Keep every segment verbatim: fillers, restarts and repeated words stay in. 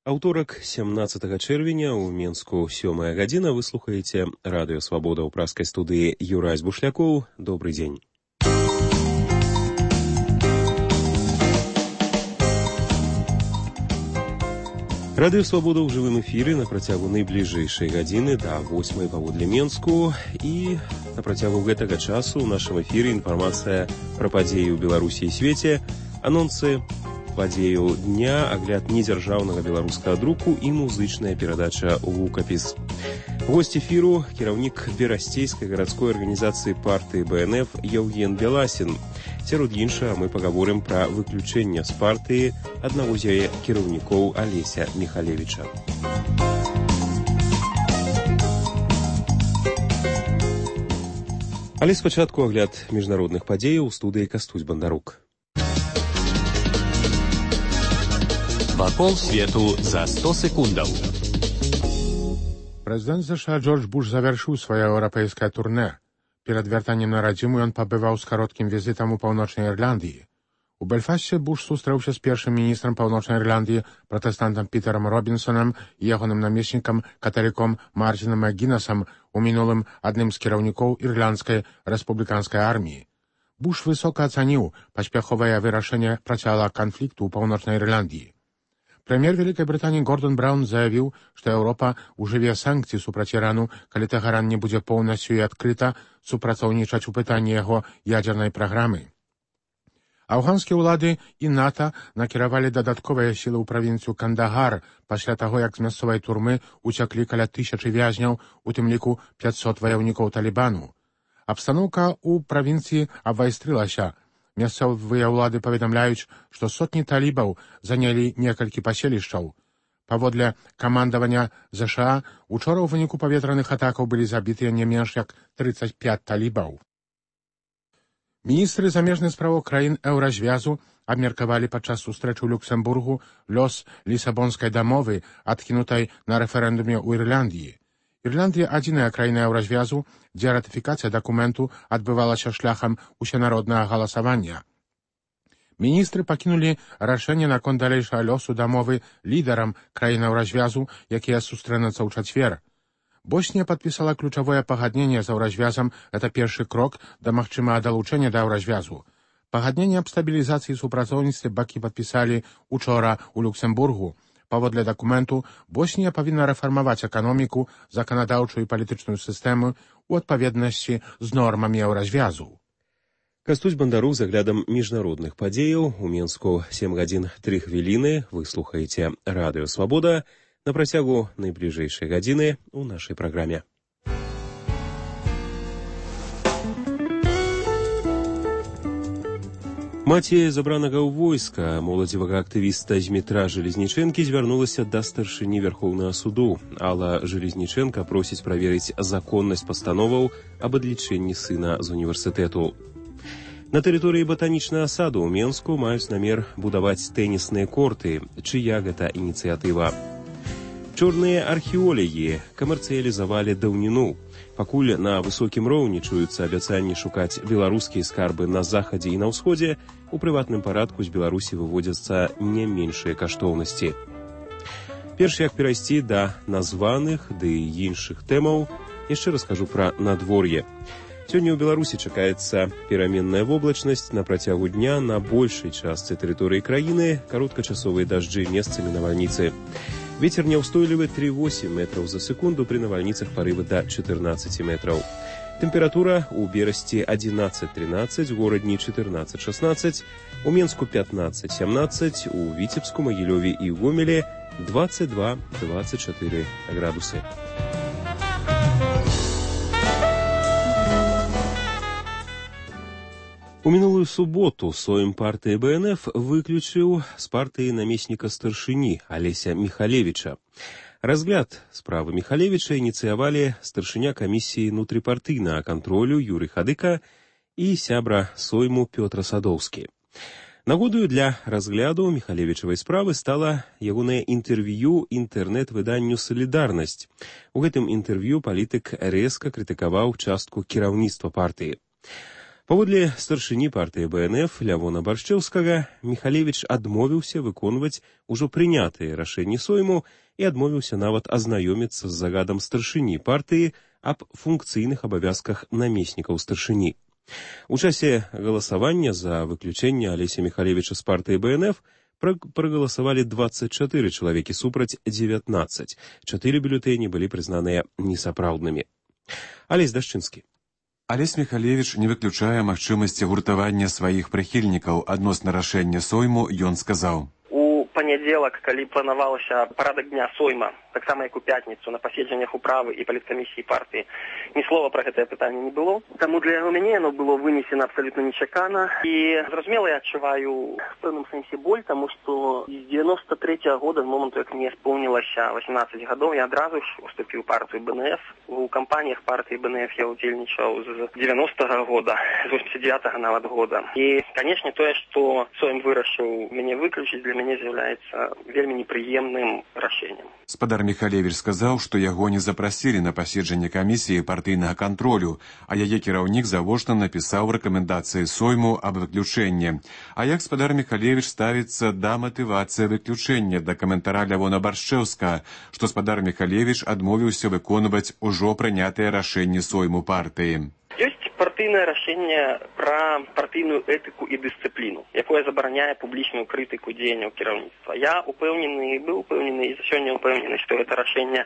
Аўторак, сямнаццатага чэрвеня, у Менску сёмая гадзіна, вы слухаеце радыё «Свабода» ў праскай студыі Юрай Збушлякоў. Добрый дзень. Радыё «Свабода» ў жывым эфіры на працягу найбліжэйшай гадзіны да восьмай паводле Менску. І на працягу гэтага часу ў нашым эфіры інфармацыя пра падзеі ў Беларусі і свеце, анонсы падзею дня, агляд недзяржаўнага беларускага друку і музычная перадача «Гукапіс». Госць эфіру – кіраўнік Берасцейскай гарадской арганізацыі партыі бэ эн эф Яўген Беласін. Сярод іншага мы пагаворым пра выключэнне з партыі аднаго з яе кіраўнікоў Алеся Міхалевіча. Але спачатку агляд міжнародных падзеяў у студыі Кастусь Бандарук. Вакол свету за сто секундаў. Прэзідэнт ЗША Джордж Буш завяршыў сваё еўрапейскае турнэ. Перад вяртаннем на радзіму ён пабываў з кароткім візітам у паўночнай Ірландыі. У Бельфасце Буш сустрэўся з першым міністрам паўночнай Ірландыі, пратэстантам Пітерам Робінсонам і ягоным намеснікам, каталіком Мартинам Макгінасам, у мінулым адным з кіраўнікоў ірландскай рэспубліканскай арміі. Буш высока ацаніў паспяховае вырашэнне працяга канфлікту ў паўночнай Ірландыі. Прэм'ер Вялікай Брытаніі Гордон Браўн заявіў, што Еўропа ўжыве санкцыі супраць Ірану, калі Тэгеран не будзе поўнасцю і адкрыта супрацоўнічаць у пытанні яго ядзернай праграмы. Афганскія ўлады і НАТО накіравалі дадатковыя сілы ў правінцыю Кандагар пасля таго, як з мясцовай турмы уцяклі каля тысячы вязняў, у тым ліку пяцьсот ваяўнікоў Талібану. Абстаноўка ў правінцыі абвайстрылася. Мясцовыя ўлады паведамляюць, што сотні талібаў занялі некалькі паселішчаў. Паводле камандавання ЗША, учора ў выніку паветраных атакаў былі забітыя не менш як трыццаць пяць талібаў. Міністры замежных справаў краін еўразвязу абмеркавалі падчас сустрэчы ў Люксембургу лёс лісабонскай дамовы, адкінутай на рэферэндуме ў Ірландыі. Ірландыя адзіная краіна еўразвязу, дзе ратыфікацыя дакументу адбывалася шляхам усенароднага галасавання. Міністры пакінулі рашэнне наконт далейшага лёсу дамовы лідарам краін еўразвязу, якія сустрэнуцца ў чацвер. Боснія падпісала ключавое пагадненне з еўразвязам, гэта першы крок да магчымага далучэння да еўразвязу. Пагадненне аб стабілізацыі і супрацоўніцтве бакі падпісалі учора ў Люксембургу. Паводле дакументу, Боснія павінна рэфармаваць эканоміку, заканадаўчую і палітычную сістэму ў адпаведнасці з нормамі еўразвязу. Кастусь Бандарук з аглядам міжнародных падзеяў. У Менску сем гадзін тры хвіліны. Вы слухаеце радыё «Свабода» на працягу найбліжэйшай гадзіны ў нашай праграме. Маці забранага ў войска, моладзевага актывіста Змітра Жалезнічэнкі звярнулася да старшыні Вярхоўнага суду. Алла Жалезнічэнка просіць праверыць законнасць пастановаў аб адлічэнні сына з універсітэту. На тэрыторыі батанічнага саду ў Менску маюць намер будаваць тэнісныя корты. Чыя гэта ініцыятыва? Чорныя археолагі камерцыялізавалі даўніну. Пакуль на высокім роўні чуюцца абяцанні шукаць беларускія скарбы на захадзе і на ўсходзе, у прыватным парадку з Беларусі выводзяцца не меншыя каштоўнасці. Перш як перайсці да названых ды іншых тэмаў, яшчэ раскажу пра надвор'е. Сёння ў Беларусі чакаецца пераменная воблачнасць, на працягу дня на большай частцы тэрыторыі краіны кароткачасовыя дажджы, месцамі навальніцы. Вецер няўстойлівы тры восемь метраў за секунду, пры навальніцах парывы да чатырнаццаць метраў. Тэмпература ў Берасці адзінаццаць трынаццаць, у горадні чатырнаццаць шаснаццаць, у Менску пятнаццаць сямнаццаць, у Віцебску, Магілёве і Гомелі дваццаць два дваццаць чатыры градусы. У мінулую суботу Сойм партыі бэ эн эф выключыў з партыі намесніка старшыні Алеся Міхалевіча. Разгляд справы Міхалевіча ініцыявалі старшыня камісіі нутрыпартыйнага кантролю Юрый Хадыка і сябра Сойму Пётр Садоўскі. Нагодаю для разгляду Міхалевічавай справы стала ягонае інтэрв'ю інтэрнэт-выданню «Салідарнасць». У гэтым інтэрв'ю палітык рэзка крытыкаваў частку кіраўніцтва партыі. Паводле старшыні партыі бэ эн эф Лявона Баршчэўскага, Міхалевіч адмовіўся выконваць ужо прынятыя рашэнні Сойму і адмовіўся нават азнаёміцца з загадам старшыні партыі аб функцыйных абавязках намеснікаў старшыні. У часе галасавання за выключэнне Алеся Міхалевіча з партыі бэ эн эф прагаласавалі дваццаць чатыры чалавекі супраць дзевятнаццаць. Чатыры бюлетэні былі прызнаныя несапраўднымі. Алесь Дашчынскі. Алесь Міхалевіч не выключае магчымасці гуртавання сваіх прыхільнікаў. Адносна рашэння Сойму ён сказаў: У панядзелак, калі планавалася парадак дня Сойма, таксама як у пятніцу на паседжаннях управы і паліткамісіі партыі, ні слова пра гэтае пытанне не было. Таму для яго мяне яно было вынесена абсалютна нечакана. І, зразумела, я адчуваю в пэўным сэнсе боль, таму што з дзевяноста трэцяга года, з моманту, як мне споўнілася васемнаццаць гадоў, я адразу ж уступіў партыю бэ эн эф. У кампаніях партыі бэ эн эф я ўдзельнічаў з дзевяностага года, з восемьдесят девятага нават года. І, канешне, тое, што Сойм вырашыў мяне выключыць, для мяне з'яўляецца вельмі непрыемным рашэннем. Спадар Міхалевіч сказаў, што яго не запрасілі на паседжанне камісіі партыйнага кантролю, а яе кіраўнік завочна напісаў рэкамендацыі Сойму аб выключэнні. А як спадар Міхалевіч ставіцца да матывацыі выключэння, да каментара Лявона Баршчэўскага, што спадар Міхалевіч адмовіўся выконваць ужо прынятыя рашэнні Сойму партыі? Ёсць партыйнае рашэнне пра партыйную этыку і дысцыпліну, якое забараняе публічную крытыку дзеянняў кіраўніцтва. Я упэўнены, быў упэўнены і сёння упэўнены, што гэта рашэнне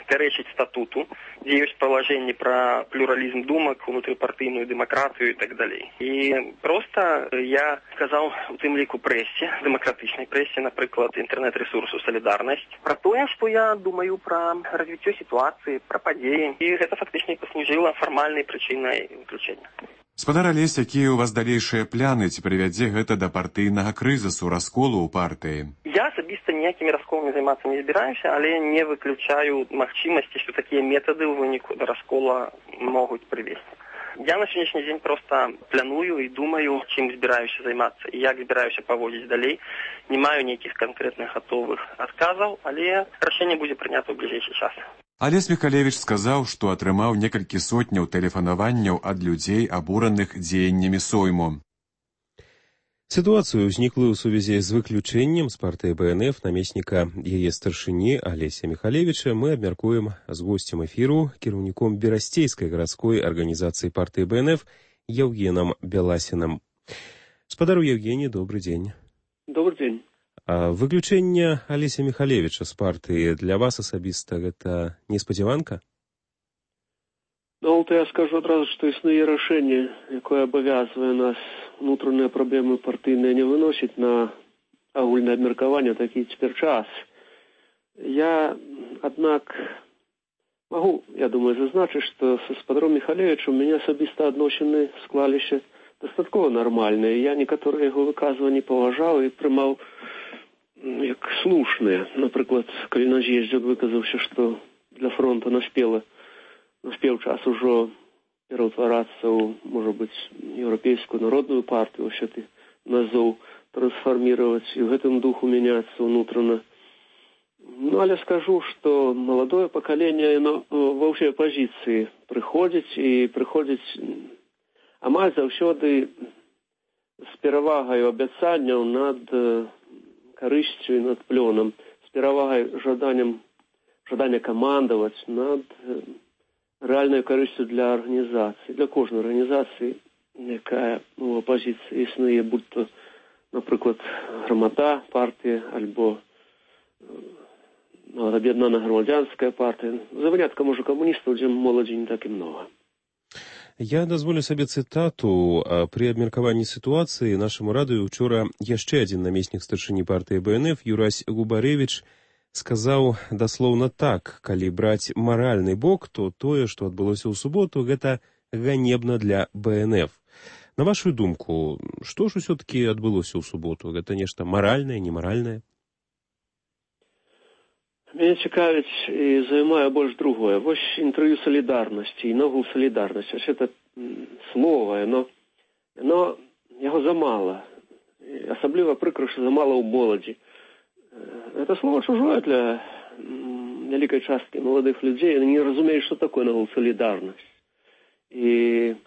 пярэчыць статуту, дзе ёсць палажэнні пра плюралізм думак, унутрыпартыйную дэмакратыю і так далей. І проста я сказаў у тым ліку прэсе, дэмакратычнай прэсе, напрыклад, інтэрнэт-рэсурсу «Салідарнасць», пра тое, што я думаю пра развіццё сітуацыі, пра падзеі. І гэта фактычна паслужыла фармальнай прычынай выключэння. Спадар Алесь, якія ў вас далейшыя пляны, ці прывядзе гэта да партыйнага крызісу, расколу ў партыі? Я асабіста ніякімі расколамі займацца не збіраюся, але не выключаю магчымасці, што такія метады ў выніку да раскола могуць прывесці. Я на сённяшні дзень проста планую і думаю, чым збіраюся займацца і як збіраюся паводзіць далей. Не маю нейкіх канкрэтных гатовых адказаў, але рашэнне будзе прынята ў бліжэйшы час. Алесь Міхалевіч сказаў, што атрымаў некалькі сотняў тэлефанаванняў ад людзей, абураных дзеяннямі Сойму. Сітуацыю, ўзніклую ў сувязі з выключэннем з партыі бэ эн эф намесніка яе старшыні Алеся Міхалевіча, мы абмяркуем з госцем эфіру, кіраўніком Берасцейскай гарадской арганізацыі партыі бэ эн эф Евгенам Беласінам. Спадару Евгений, добрый дзень. Добрый дзень. А выключэнне Алеся Міхалевіча з партыі для вас асабіста гэта неспадзяванка? Ну, то я скажу адразу, што існуе рашэнне, якое абавязвае нас унутраныя праблемы партыйныя не выносіць на агульнае абмеркаванне такі цяпер час. Я, аднак, магу, я думаю, зазначыць, што са спадаром Міхалевічам у мяне асабіста адносіны склаліся дастаткова нармальныя. Я некаторыя яго выказванні паважаў і прымаў як слушныя. Напрыклад, калі на з'ездзе выказаўся, што для фронта наспела наспеў час ужо пераўтварацца ў, можа быць, еўрапейскую народную партыю, ўсё ты назоў трансфарміраваць і ў гэтым духу мяняцца ўнутрана. Ну, але скажу, што маладое пакаленне, яно ва ўсёй апазіцыі прыходзіць і прыходзіць амаль заўсёды з перавагай абяцанняў над карысцю і над плёнам, з перавагай жаданнем жадання камандаваць над рэальнай карысцю для арганізацыі, для кожнай арганізацыі, якая у апазіцыі існуе, будь то, напрыклад, грамада партыя альбо аб'яднаная грамадзянская партыя. За выняткам ужо камуністаў, дзе моладзі не так і многа. Я дазволю сабе цытату. Пры абмеркаванні сітуацыі нашаму радыё учора яшчэ адзін намеснік старшыні партыі бэ эн эф Юрась Губарэвіч сказаў даслоўна так: калі браць маральны бок, то тое, што адбылося ў суботу, гэта ганебна для бэ эн эф. На вашу думку, што ж усё-такі адбылося ў суботу? Гэта нешта маральнае, немаральнае? Мяне цікавіць і займае больш другое. Вось інтэрв'ю «Салідарнасці» і ногу «Салідарнасць». Вось гэта слова, яно, яно яго замала. Асабліва прыкра, што замала ў моладзі. Это слово чужое для вялікай часткі маладых людзей. Яны не разумеюць, што такое ногу «Салідарнасць». І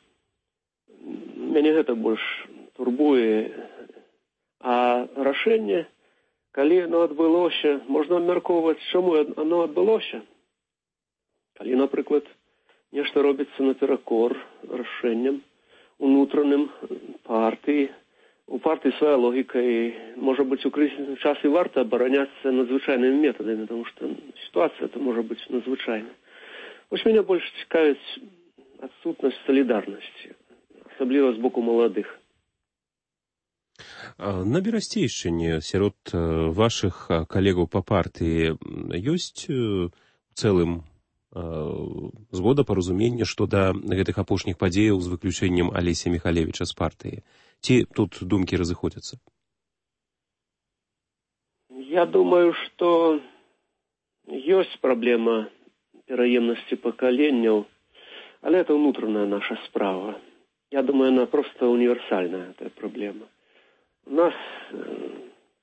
мяне гэта больш турбуе. А рашэнне, калі оно адбылося, можна абмяркоўваць, чаму оно адбылося. Калі, напрыклад, нешта робіцца наперакор рашэнням унутраным партыі, у партыі свая логіка, і, можа быць, у крызісны час і варта абараняцца надзвычайнымі метадамі, тому што сітуацыя это можа быць надзвычайна. Вось мяне больш цікавіць адсутнасць салідарнасці, асабліва з боку маладых. На Берасцейшчыне сярод вашых калегаў па партыі ёсць у цэлым згода, паразуменне, што да гэтых апошніх падзеяў з выключэннем Алеся Міхалевіча з партыі? Ці тут думкі разыходзяцца? Я думаю, што ёсць праблема пераемнасці пакаленняў, але это ўнутраная наша справа. Я думаю, она просто універсальная, эта праблема. У нас э,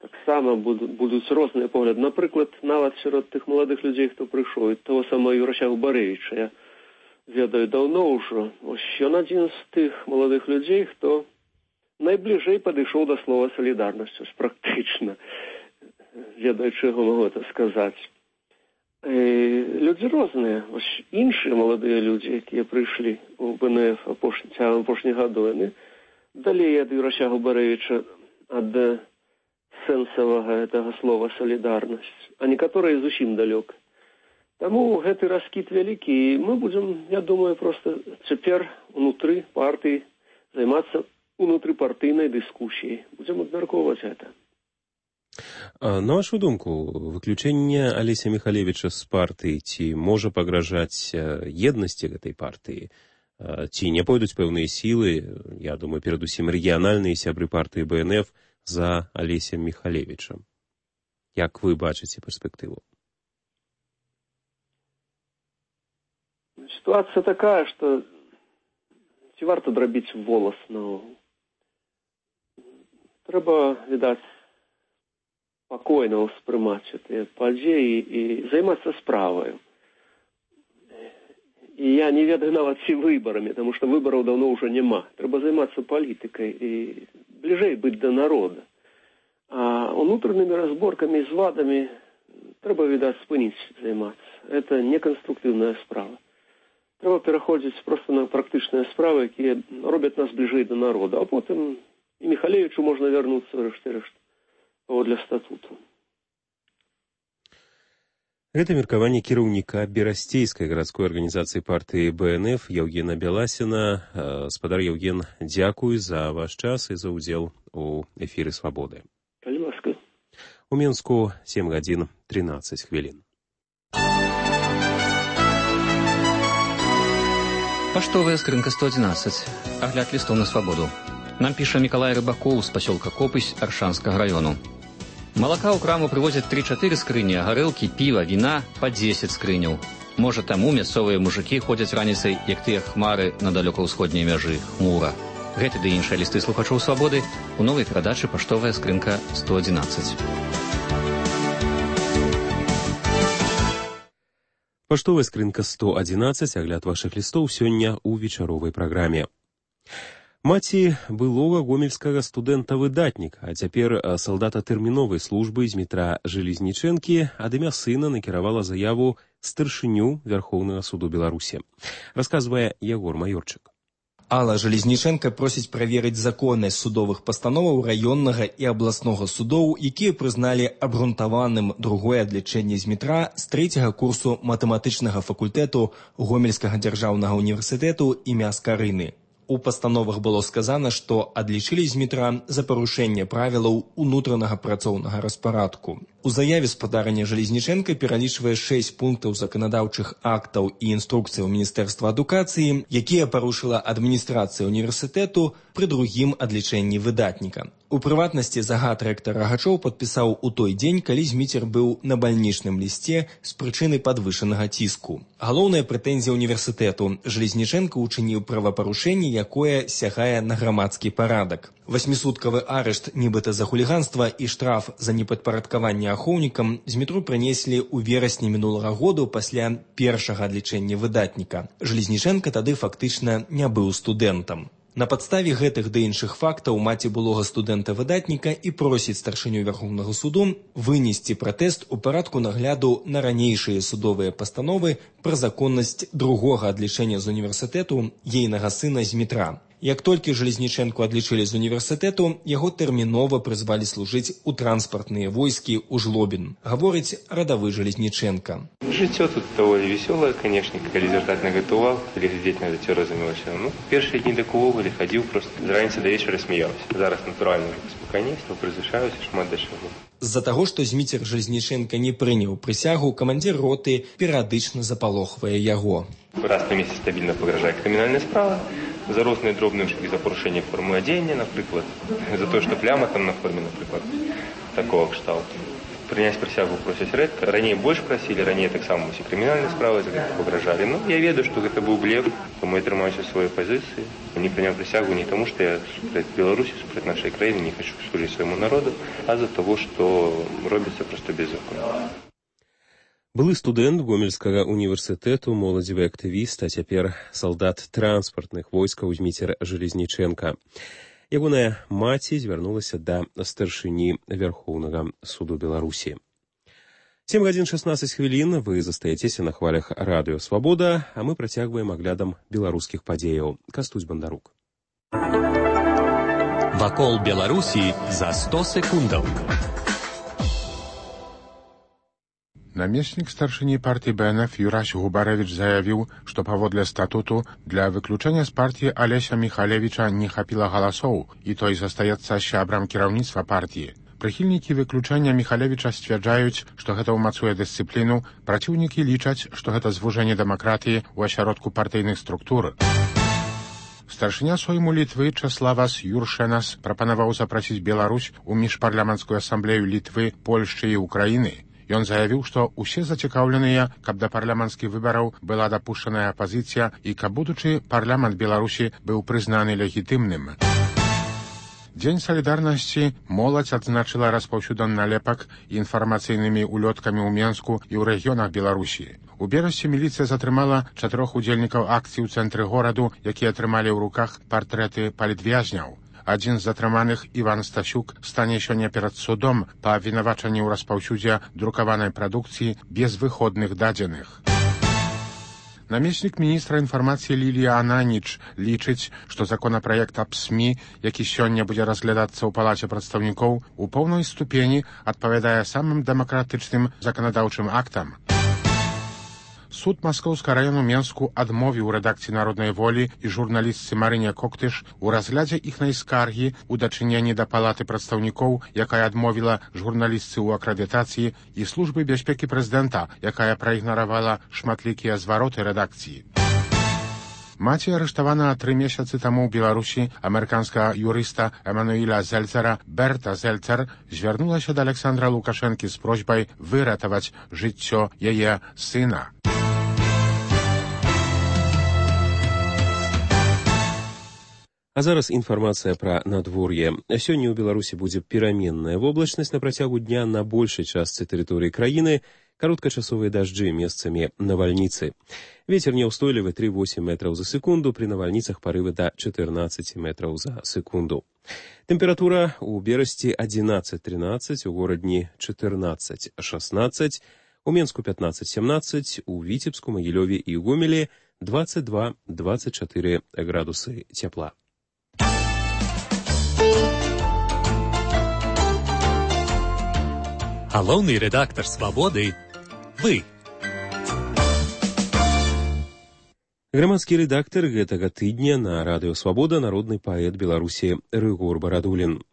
таксама будуць, будуць розныя погляды. Напрыклад, нават сярод тых маладых людзей, хто прыйшоў, і того самого Юрася Губарэвіча, я ведаю даўно ўжо. Ось ён адзін з тых маладых людзей, хто найбліжэй падышоў да слова салідарнасць, практычна, ведаючы яго магу это сказаць. І людзі розныя. Ось іншыя маладыя людзі, якія прыйшлі у БНФ цягам апошніх гадоў, яны далей ад Юрася Губарэвіча, ад сэнсавага гэтага слова салідарнасць, а некаторыя зусім далёк. Таму гэты раскід вялікі, і мы будзем, я думаю, проста цяпер унутры партыі займацца унутрыпартыйнай дыскусіяй. Будзем абмяркоўваць гэта. На вашу думку, выключэнне Алеся Міхалевіча з партыі ці можа пагражаць еднасці гэтай партыі? Ці не пойдуць пэўныя сілы, я думаю, перадусім рэгіянальныя сябры партыі БНФ за Алесем Міхалевічам? Як вы бачыце перспектыву? Ситуация такая, что ці варта драбіць волос наогул. Трэба, відаць, спакойна ўспрымаць гэтыя падзеі і займацца справаю. І я не ведаю нават ці выбарамі, таму што выбараў даўно ўжо няма. Трэба займацца палітыкай і бліжэй быць да народа. А унутранымі разборкамі з вадамі трэба, відаць, спыніць займацца. Это неканструктыўная справа. Трэба пераходзіць проста на практычныя справы, якія робяць нас бліжэй да народа. А потым і Міхалевічу можна вярнуцца рэшт-рэшт паводле статуту. Гэта меркаванне кіраўніка Берасцейскай гарадской арганізацыі партыі БНФ Яўгена Бяласіна. Спадар Яўген, дзякуй за ваш час і за ўдзел у эфіры «Свабоды». Калі ласка. У Мінску сем гадзін трынаццаць хвілін. Паштовая скрынка сто адзінаццаць. Агляд лістоў на свабоду. Нам піша Мікалай Рыбакоў з пасёлка Копысь Аршанскага раёну. Малака ў краму прывозяць тры-чатыры скрыні, а гарэлкі, піва, віна па дзесяць скрыняў. Можа, таму мясцовыя мужыкі ходзяць раніцай, як тыя хмары на далёка-ўсходняй мяжы, хмура. Гэты ды іншыя лісты слухачоў свабоды у новай перадачы «Паштовая скрынка сто адзінаццаць». Паштовая скрынка сто адзінаццаць, агляд вашых лістоў сёння ў вечаровай праграме. Маці былога гомельскага студэнта-выдатніка, а цяпер салдата тэрміновай службы з метра Железнічэнкі ад імя сына накіравала заяву старшыню Вярхоўнага суду Беларусі. Расказвае Ягор Маёрчык. Алла Железнічэнка просіць праверыць законнасць судовых пастановаў раённага і абласнога судоў, якія прызналі абгрунтаваным другое адлічэнне з метра з трэцяга курсу матэматычнага факультэту Гомельскага дзяржаўнага універсітэту імя Скарыны. У пастановах было сказана, што адлічылі з метра за парушэнне правілаў унутранага працоўнага распарадку. У заяве спадарня Железнічэнка пералічвае шэсць пунктаў заканадаўчых актаў і інструкцыяў Міністэрства адукацыі, якія парушыла адміністрацыя універсітэту пры другім адлічэнні выдатніка. У прыватнасці загад рэктар Рагачоў падпісаў у той дзень, калі Зміцер быў на бальнічным лісце з прычыны падвышанага ціску. Галоўная прэтэнзія універсітэту: Железнічэнка учыніў правапарушэнне, якое сягае на грамадскі парадак. Васьмісуткавы арышт нібыта за хуліганства і штраф за непадпарадкаванне ахоўнікам з метро прынеслі ў верасні мінулага году пасля першага адлічэння выдатніка. Железнічэнка тады фактычна не быў студэнтам. На падставе гэтых ды іншых фактаў маці былога студэнта-выдатніка і просіць старшыню Вярхоўнага суду вынесці пратэст у парадку нагляду на ранейшыя судовыя пастановы пра законнасць другога адлічэння з універсітэту ейнага сына Змітра. Як толькі Жалезнічэнку адлічылі з універсітэту, яго тэрмінова прызвалі служыць у транспартныя войскі ў Жлобін, гаворыць радавы Жалезнічэнка. Жыццё тут даволі весёлае, канешне, калі звяртаць на гэта увагу, калі глядзець на гэта разумелася. Ну, першыя дні так увогуле хадзіў проста з раніцы да вечара смяяўся. Зараз натуральна спакайнейства, прызвычаюся шмат да чаго. З-за таго, што Зміцер Жалезнічэнка не прыняў прысягу, камандзір роты перыядычна запалохвае яго. Раз на месяц стабільна пагражае крымінальная справа, за розныя дробныя ўшкі, за парушэнне формы адзення, напрыклад, за тое, што пляма там на форме, напрыклад, такого кшталту. Прыняць прысягу просяць рэдка. Раней больш прасілі, раней таксама усе крымінальныя справы за гэта пагражалі. Ну, я ведаю, што гэта быў блеф, тому я трымаюся сваёй пазіцыі. Не прыняў прысягу не таму, што я супраць Беларусі, супраць нашай краіны не хочу служыць свайму народу, а за таго, што робіцца проста беззаконна. Былы студэнт Гомельскага універсітэту, моладзевы актывіст, а цяпер салдат транспартных войскаў Зміцер Жалезнічэнка. Ягоная маці звярнулася да старшыні Вярхоўнага суду Беларусі. сем гадзін шаснаццаць хвілін, вы застаецеся на хвалях радыё «Свабода», а мы працягваем аглядам беларускіх падзеяў. Кастусь Бандарук. Вакол Беларусі за сто секундаў. Намеснік старшыні партыі Бэ Эн Эф Юрась Губарэвіч заявіў, што паводле статуту для выключэння з партыі Алеся Міхалевіча не хапіла галасоў, і той застаецца сябрам кіраўніцтва партыі. Прыхільнікі выключэння Міхалевіча сцвярджаюць, што гэта ўмацуе дысцыпліну, праціўнікі лічаць, што гэта звужэнне дэмакратыі ў асяродку партыйных структур. Старшыня Сойму Літвы Чаславас Юршэнас прапанаваў запрасіць Беларусь у міжпарламенцкую асамблею Літвы, Польшчы і Украіны. Ён заявіў, што ўсе зацікаўленыя, каб да парламенцкіх выбараў была дапушчаная апазіцыя і каб будучы парламент Беларусі быў прызнаны легітымным. Дзень салідарнасці моладзь адзначыла распаўсюдам налепак інфармацыйнымі улёткамі ў Менску і ў рэгіёнах Беларусі. У берасці міліцыя затрымала чатырох удзельнікаў акцыі ў цэнтры гораду, якія атрымалі ў руках партрэты палітвязняў. Адзін з затрыманых, Іван Стасюк, стане сёння перад судом па абвінавачанні ў распаўсюдзе друкаванай прадукцыі без выходных дадзеных. Намеснік міністра інфармацыі Лілія Ананіч лічыць, што законапраект аб СМІ, які сёння будзе разглядацца ў палаце прадстаўнікоў, у поўнай ступені адпавядае самым дэмакратычным заканадаўчым актам. Суд Маскоўскага раёну Менску адмовіў рэдакцыі «Народнай волі» і журналістцы Марыне Коктыш у разглядзе іхнай скаргі ў дачыненні да палаты прадстаўнікоў, якая адмовіла журналістцы ў акрэдытацыі, і службы бяспекі прэзідэнта, якая праігнаравала шматлікія звароты рэдакцыі. Маці арыштавана тры месяцы таму ў Беларусі амерыканскага юрыста Эмануіля Зельцера Берта Зельцер звярнулася да Александра Лукашэнкі з просьбай выратаваць жыццё яе сына. А зараз інфармацыя пра надвор'е. Сёння ў Беларусі будзе пераменная воблачнасць на працягу дня на большай частцы тэрыторыі краіны, кароткачасовыя дажджы, месцамі навальніцы. Вецер няўстойлівы тры-восем метраў за секунду, пры навальніцах парывы да чатырнаццаць метраў за секунду. Тэмпература ў Берасці адзінаццаць-трынаццаць, у горадні чатырнаццаць-шаснаццаць, у Менску пятнаццаць-семнаццаць, у Віцебску, Магілёве і Гомелі дваццаць два - дваццаць чатыры градусы цяпла. Галоўны рэдактар «Свабоды» – вы. Грамадскі рэдактар гэтага тыдня на радыё «Свабода» народны паэт Беларусі Рыгор Барадулін.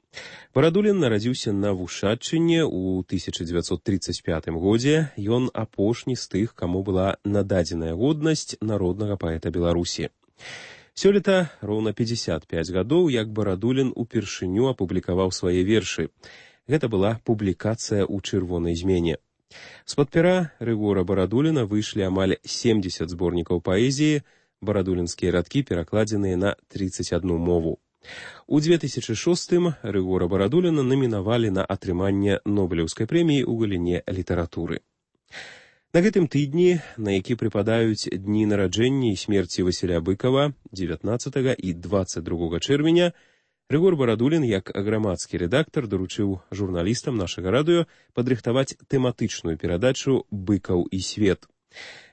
Барадулін нарадзіўся на Вушаччыне ў тысяча дзевяцьсот трыццаць пятым годзе. Ён апошні з тых, каму была нададзеная годнасць народнага паэта Беларусі. Сёлета роўна пятьдесят пять гадоў, як Барадулін упершыню апублікаваў свае вершы. Гэта была публікацыя ў чырвонай змене. З-пад пера Рыгора Барадуліна выйшлі амаль семьдесят зборнікаў паэзіі, барадулінскія радкі перакладзеныя на тридцать одну мову. У две тысячи шостым Рыгора Барадуліна намінавалі на атрыманне Нобелеўскай прэміі ў галіне літаратуры. На гэтым тыдні, на які прыпадаюць дні нараджэння і смерці Васіля Быкава дзевятнаццатага і дваццаць другога чэрвеня, Рыгор Барадулін, як грамадскі рэдактар, даручыў журналістам нашага радыё падрыхтаваць тэматычную перадачу «Быкаў і свет».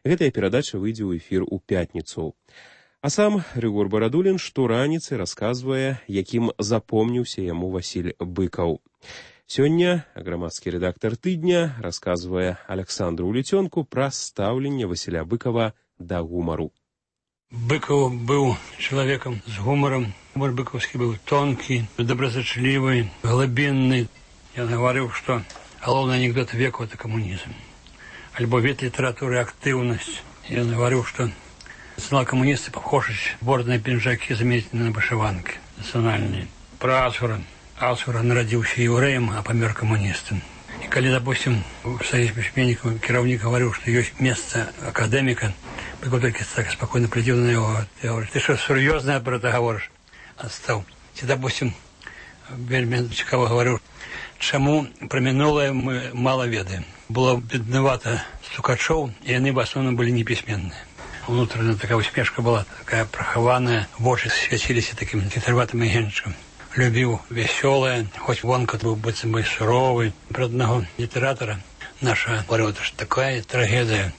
Гэтая перадача выйдзе ў эфір у пятніцу. А сам Рыгор Барадулін штораніцы расказвае, якім запомніўся яму Васіль Быкаў. Сёння грамадскі рэдактар тыдня расказвае Александру Улецёнку пра стаўленне Васіля Быкава да гумару. Быкаў быў чалавекам з гумарам. Гумар быкаўскі быў тонкі, добразычлівы, глыбінны. Ён гаварыў, што галоўны анекдот веку — это камунізм. Альбо від літаратуры актыўнасць. Ён гаварыў, што национал коммунисты похожи бордные пинжаки заменить на вышиванки национальные. Про Асура. Асура народился евреем, а помер коммунистом. И когда, допустим, в Союзе письменников кировник говорил, что есть место академика, Быков только так спокойно глядел на него. Я говорю, ты что, серьезно про это говоришь? Отстал. И, допустим, вельми цікаво говорил, чему про минулое мы мало ведаем. Было бедновато стукачов, и они в основном были неписьменные. Внутренняя такая усмешка была, такая прохованная, в очи светились таким хитроватым агентчиком. Любил веселое, хоть вонка был быть бы суровый. Про одного литератора наша говорила, что такая трагедия.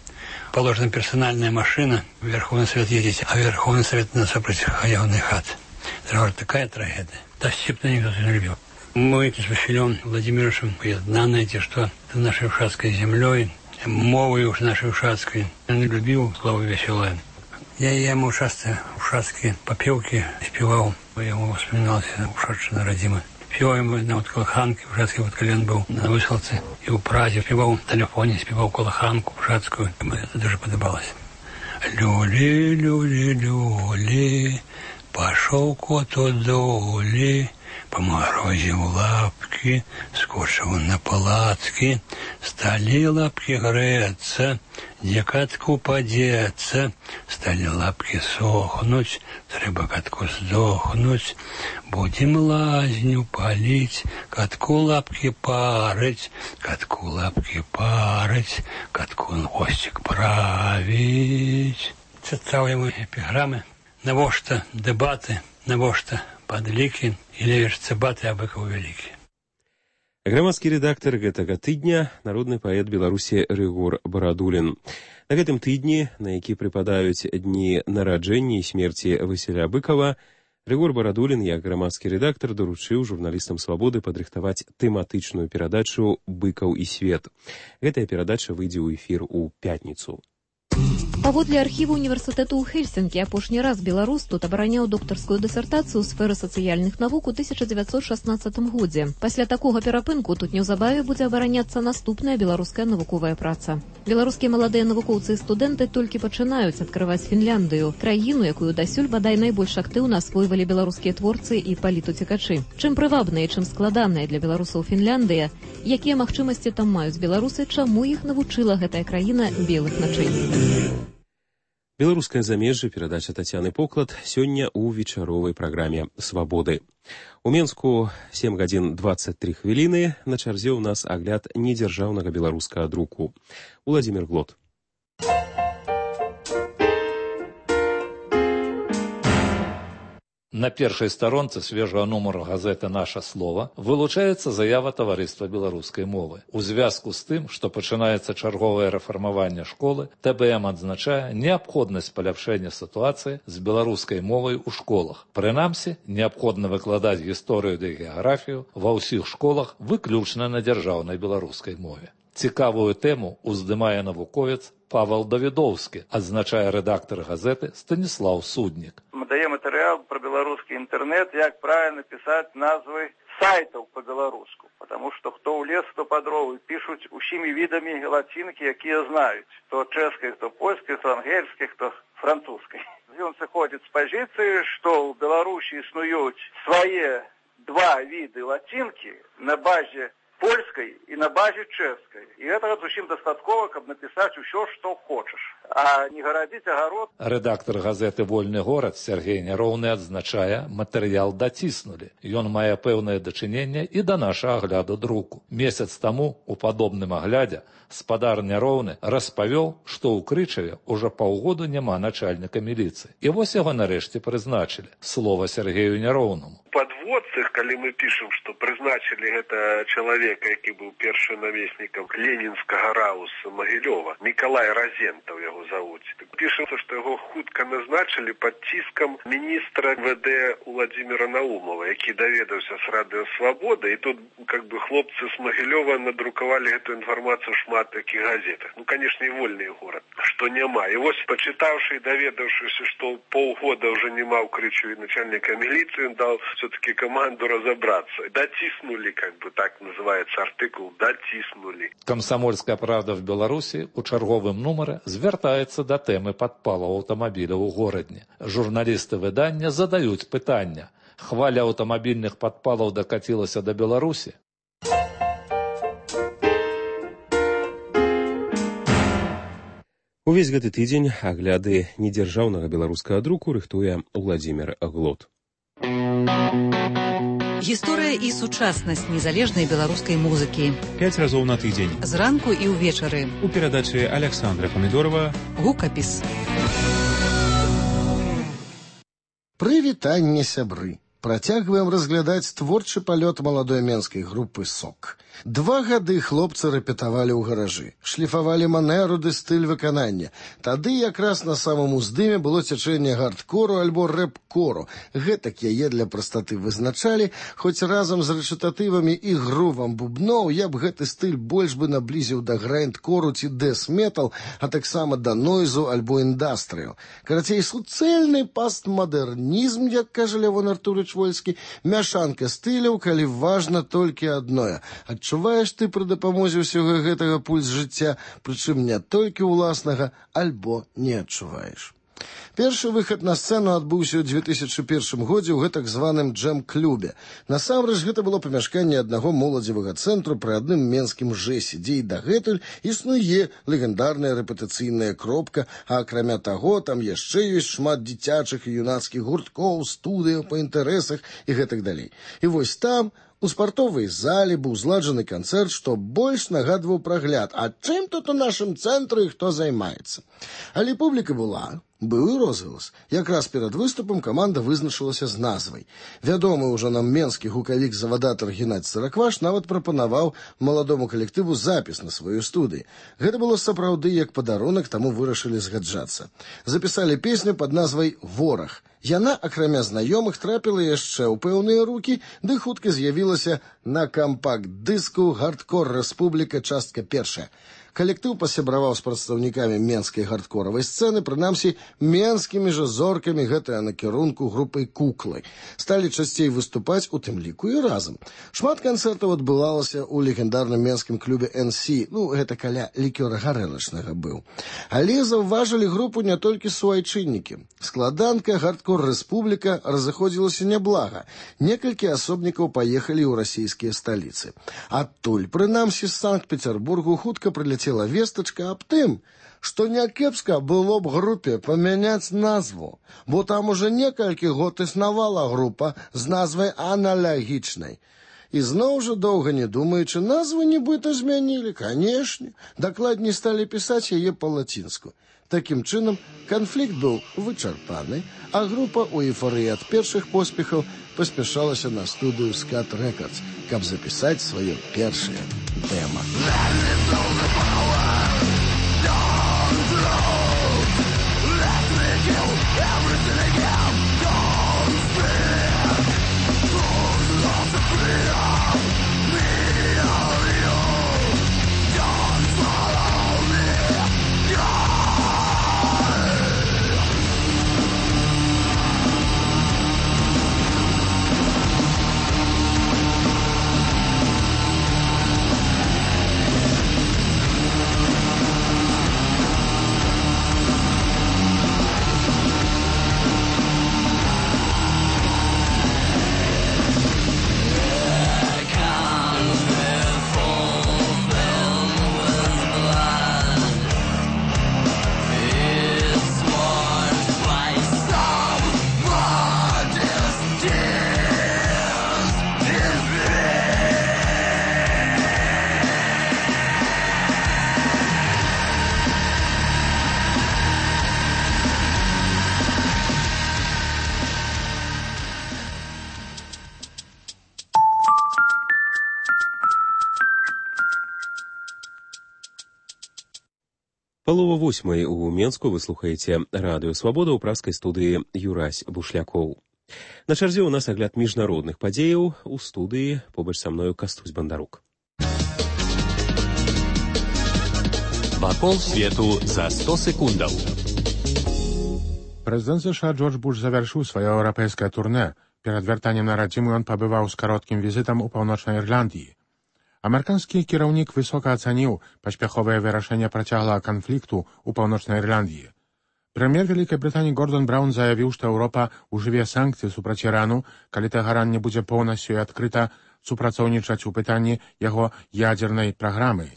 Положена персональная машина, в Верховный Совет ездить, а Верховный Совет на сопротивленный хат. Это такая трагедия. Да, степно никто не любил. Мы с Василем Владимировичем поединаны, что это нашей ушатской землей, мовой уж нашей ушатской. Он любил слово веселое. Я ему часто ушатские попевки спевал. Я ему вспоминался ушедший на родимый. Спевал ему на вот колоханке, ушатский вот колен был на высылце. И у Празе спевал в телефоне, спевал колоханку ушатскую. Мне это даже подобалось. Люли, люли, люли, пошел кот от доли. Поморозив лапки, скочил на палатки, стали лапки греться, где катку подеться, стали лапки сохнуть, треба катку сдохнуть, будем лазню палить, катку лапки парить, катку лапки парить, катку хвостик править. Читал ему эпиграммы, навошта дебаты, навошта падлікі і левіш цыбаты, а Быкаў вялікі. Грамадскі рэдактар гэтага тыдня народны паэт Беларусі Рыгор Барадулін. На гэтым тыдні, на які прыпадаюць дні нараджэння і смерці Васіля Быкава, Рыгор Барадулін, як грамадскі рэдактар, даручыў журналістам «Свабоды» падрыхтаваць тэматычную перадачу «Быкаў і свет». Гэтая перадача выйдзе ў эфір у пятніцу. Паводле архіву універсітэту ў Хельсінкі апошні раз беларус тут абараняў доктарскую дысертацыю ў сферы сацыяльных навук у тысяча дзевяцьсот шаснаццатым годзе. Пасля такога перапынку тут неўзабаве будзе абараняцца наступная беларуская навуковая праца. Беларускія маладыя навукоўцы і студэнты толькі пачынаюць адкрываць Фінляндыю, краіну, якую дасюль бадай найбольш актыўна асвойвалі беларускія творцы і палітуцікачы. Чым прывабная і чым складаная для беларусаў Фінляндыя, якія магчымасці там маюць беларусы, чаму іх навучыла гэтая краіна белых начэй. Беларускае замежжа, перадача Тацяны Поклад, сёння ў вечаровай праграме «Свабоды». У Менску сем гадзін дваццаць тры хвіліны, на чарзе ў нас агляд недзяржаўнага беларускага друку. Уладзімір Глот. На першай старонцы свежага нумара газеты «Наша слова» вылучаецца заява таварыства беларускай мовы. У звязку з тым, што пачынаецца чарговае рэфармаванне школы, тэ бэ эм адзначае неабходнасць паляпшэння сітуацыі з беларускай мовай у школах. Прынамсі, неабходна выкладаць гісторыю ды геаграфію ва ўсіх школах выключна на дзяржаўнай беларускай мове. Цікавую тэму уздымае навуковец Павел Давідоўскі, адзначае рэдактар газеты Станіслаў Суднік. Мы даем матэрыял про беларускі інтэрнэт, як правильно писать назвы сайтаў по-беларуску, потому что кто ў лес, то по дровы пишут усімі відамі лацінкі, якія знаюць, то чэшскай, то польскай, то ангельскай, то французскай. Ён сыходзіць з пазіцыі, што ў Беларусі існуюць свае два віды лацінкі на базе польскай і на базе чэшскай. І гэтага зусім дастаткова, каб напісаць усё, што хочаш, а не гарадзіць агарод. Рэдактар газеты «Вольны горад» Сергей Няроўны адзначае, матэрыял даціснулі. Ён мае пэўнае дачыненне і да нашага агляду друку. Месяц таму у падобным аглядзе спадар Няроўны распавёў, што ў Крычаве ўжо паўгоду няма начальніка міліцыі. І вось яго нарэшце прызначылі. Слова Сергею Няроўнаму. Подводцах, калі мы пішам, што прызначылі гэта чалавека, які быў першым намеснікам ленінскага рауса Магілёва, Мікалай Разентаў яго завуць. Пішацца, што яго хутка назначылі пад ціскам міністра вэ дэ Уладзіміра Наумова, які даведаўся з радыё «Свабода», і тут как бы хлопцы з Магілёва надрукавалі гэту інфармацыю в шмат такіх газетах. Ну, канешне, і «Вольны горад», што няма. І вось, пачытаўшы і даведаўшыся, што паўгода ўжо няма ў Крычаве начальніка міліцыі, ён даў все-таки команду разобраться. Датиснули, как бы так называется артикул, датиснули. Камсамольская правда в Беларусі у чарговым нумары звяртаецца да тэмы падпалаў аўтамабіляў у горадні. Журналісты выдання задаюць пытання. Хваля аўтамабільных падпалаў дакацілася да Беларусі? Увесь гэты тыдзень агляды недзяржаўнага беларускага друку рыхтуе Уладзімір Глот. Гісторыя і сучаснасць незалежнай беларускай музыкі. Пяць разоў на тыдзень. Зранку і ўвечары. У перадачы Александра Памідорова. Гукапіс. Прывітанне, сябры. Працягваем разглядаць творчы палёт маладой менскай групы «Сок». Два гады хлопцы рэпетавалі ў гаражы, шліфавалі манеру ды стыль выканання. Тады якраз на самым уздыме было цячэнне гардкору альбо рэп-кору. Гэтак яе для прастаты вызначалі, хоць разам з рэчытатывамі і грувам бубноў я б гэты стыль больш бы наблізіў да грайндкору ці дэс-метал, а таксама да нойзу альбо індастрыю. Карацей, суцэльны пастмадэрнізм, як кажа Лявон Артурович Вольскі, мяшанка стыляў, калі важна толькі адное – адчуваеш ты пры дапамозе ўсяго гэтага пульс жыцця, прычым не толькі ўласнага, альбо не адчуваеш. Першы выхад на сцэну адбыўся ў дзве тысячы першым годзе ў гэтак званым джэм-клубе. Насамрэч, гэта было памяшканне аднаго моладзевага цэнтру пры адным менскім жэсе, дзе і дагэтуль існуе легендарная рэпетыцыйная кропка, а акрамя таго, там яшчэ ёсць шмат дзіцячых і юнацкіх гурткоў, студыяў па інтарэсах і гэтак далей. І вось там, у спартовай зале быў зладжаны канцэрт, што больш нагадваў прагляд, а чым тут у нашым цэнтры і хто займаецца. Але публіка была, быў і розгалас. Якраз перад выступам каманда вызначылася з назвай. Вядомы ўжо нам менскі гукавік-завадатар Геннадзь Саракваш нават прапанаваў маладому калектыву запіс на сваёй студыі. Гэта было сапраўды як падарунак, таму вырашылі згаджацца. Запісалі песню пад назвай «Вораг». Яна, акрамя знаёмых, трапіла яшчэ ў пэўныя рукі, ды хутка з'явілася на кампакт-дыску «Гардкор Рэспубліка. Частка першая». Калектыў пасябраваў з прадстаўнікамі менскай гардкоравай сцэны, прынамсі, менскімі жа зоркамі гэтага накірунку групай «Куклы». Сталі часцей выступаць, у тым ліку і разам. Шмат канцэртаў адбывалася ў легендарным менскім клубе эн сі, ну, гэта каля лікёра гарэлачнага быў. Але заўважылі групу не толькі суайчыннікі. Складанка «Гардкор Рэспубліка» разыходзілася няблага. Некалькі асобнікаў паехалі ў расійскія сталіцы. Адтуль, прынамсі, з Санкт-Петербургу хутка прыляцела вестачка аб тым, што някепска было б групе памяняць назву, бо там уже некалькі год існавала група з назвай аналагічнай. І зноў жа доўга не думаючы, назву нібыта змянілі, канешне, дакладней сталі пісаць яе па-лацінску. Такім чынам, канфлікт быў вычарпаны, а група у эйфарыі ад першых поспехаў паспяшалася на студыю «Скат Рэкардс», каб запісаць сваё першае дэма. Палова восьмай у Менску вы слухаеце радыё Свабода ў пражскай студыі Юрась Бушлякоў. На чарзе ў нас агляд міжнародных падзеяў. У студыі побач са мною Кастусь Бандарук. Вакол свету за сто секундаў. Прэзідэнт США Джордж Буш завяршыў сваё еўрапейскае турнэ. Перад вяртаннем на радзіму ён пабываў з кароткім візітам у паўночнай Ірландыі. Амерыканскі кіраўнік высока ацаніў паспяховае вырашэнне працяглага канфлікту ў паўночнай Ірландыі. Прэм'ер Вялікай Брытаніі Гордон Браўн заявіў, што Еўропа ўжыве санкцыі супраць Ірану, калі Тэгеран не будзе поўнасцю і адкрыта супрацоўнічаць у пытанні яго ядзернай праграмы.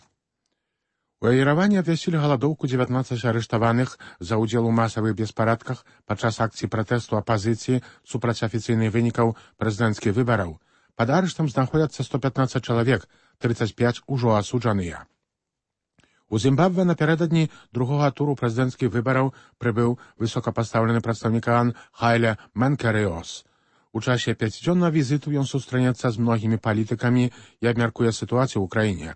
У Ереване абвясцілі галадоўку дзевятнаццаць арыштаваных за ўдзел у масавых беспарадках падчас акцый пратэсту апазіцыі супраць афіцыйных вынікаў прэзідэнцкіх выбараў. Пад арыштам знаходзяцца сто пятнаццаць чалавек, тридцать пять ужо асуджаныя. У Зімбабве напярэдадні другога туру прэзідэнцкіх выбараў прыбыў высокапастаўлены прадстаўнік ААН Хайле Менкериос. У часе пяцідзённага візіту ён сустрэнецца з многімі палітыкамі і абмяркуе сітуацыю ў краіне.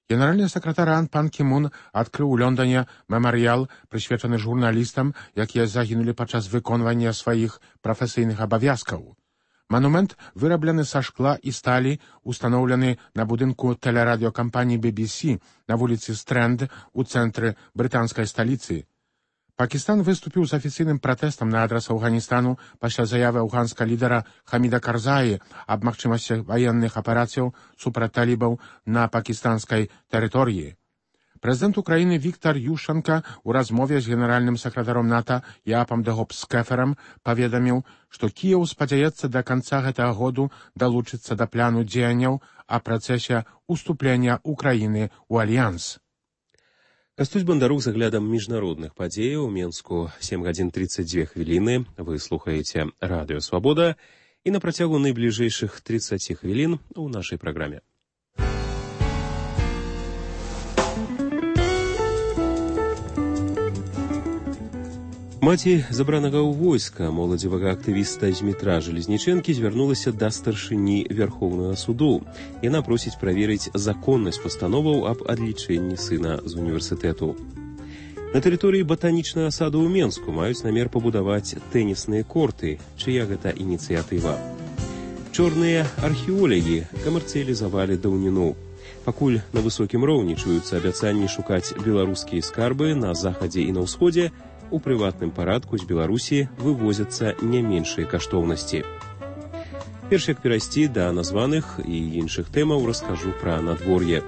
Генеральны сакратар ААН Пан Кі Мун адкрыў у Лондоне мемарыял, прысвечаны журналістам, якія загінулі падчас выконвання сваіх прафесійных абавязкаў. Манумент выраблены са шкла і сталі, устаноўлены на будынку тэлерадыёкампаніі би би сі на вуліцы Стрэнд у цэнтры брытанскай сталіцы. Пакістан выступіў з афіцыйным пратэстам на адрас Афганістану пасля заявы афганскага лідара Хаміда Карзаі аб магчымасці ваенных аперацыяў супраць талібаў на пакістанскай тэрыторыі. Прэзідэнт Украіны Віктор Ющенка ў размове з генеральным сакратаром НАТО Яапам де Гопскеферам паведаміў, што Кіеў спадзяецца да канца гэтага году далучыцца да пляну дзеянняў о працэсе уступлення Украіны ў альянс. Кастусь Бандарук з аглядам міжнародных падзеяў. У Менску сем гадзін тридцать две хвіліны. Вы слухаеце радыё Свабода і на працягу найбліжэйшых тридцати хвілін у нашай праграме. Маці забранага ў войска моладзевага актывіста Змітра Жалезнічэнкі звярнулася да старшыні Вярхоўнага суду. Яна просіць праверыць законнасць пастановаў аб адлічэнні сына з універсітэту. На тэрыторыі батанічнага саду ў Менску маюць намер пабудаваць тэнісныя корты, чыя гэта ініцыятыва. Чорныя археолагі камерцыялізавалі даўніну. Пакуль на высокім роўні чуюцца абяцанні шукаць беларускія скарбы на захадзе і на ўсходзе, у прыватным парадку з Беларусі вывозяцца не меншыя каштоўнасці. Перш як перайсці да названых і іншых тэмаў, раскажу пра надвор'е.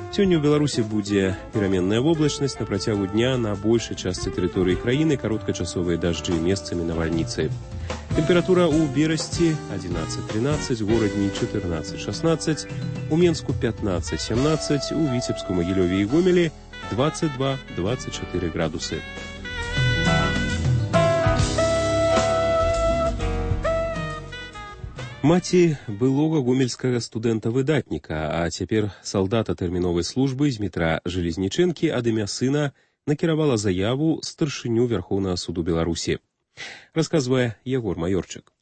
Сёння ў Беларусі будзе пераменная воблачнасць, на працягу дня на большай частцы тэрыторыі краіны кароткачасовыя дажджы, месцамі навальніцы. Тэмпература ў Берасці одиннадцать тринадцать, у Горадні четырнадцать шестнадцать, у Менску пятнадцать семнадцать, у Віцебску, Магілёве і Гомелі двадцать два двадцать четыре градусы. Маці былога гомельскага студэнта-выдатніка, а цяпер салдата тэрміновай службы Змітра Жалезнічэнкі ад імя сына накіравала заяву старшыню Вярхоўнага суду Беларусі. Расказвае Ягор Маёрчык.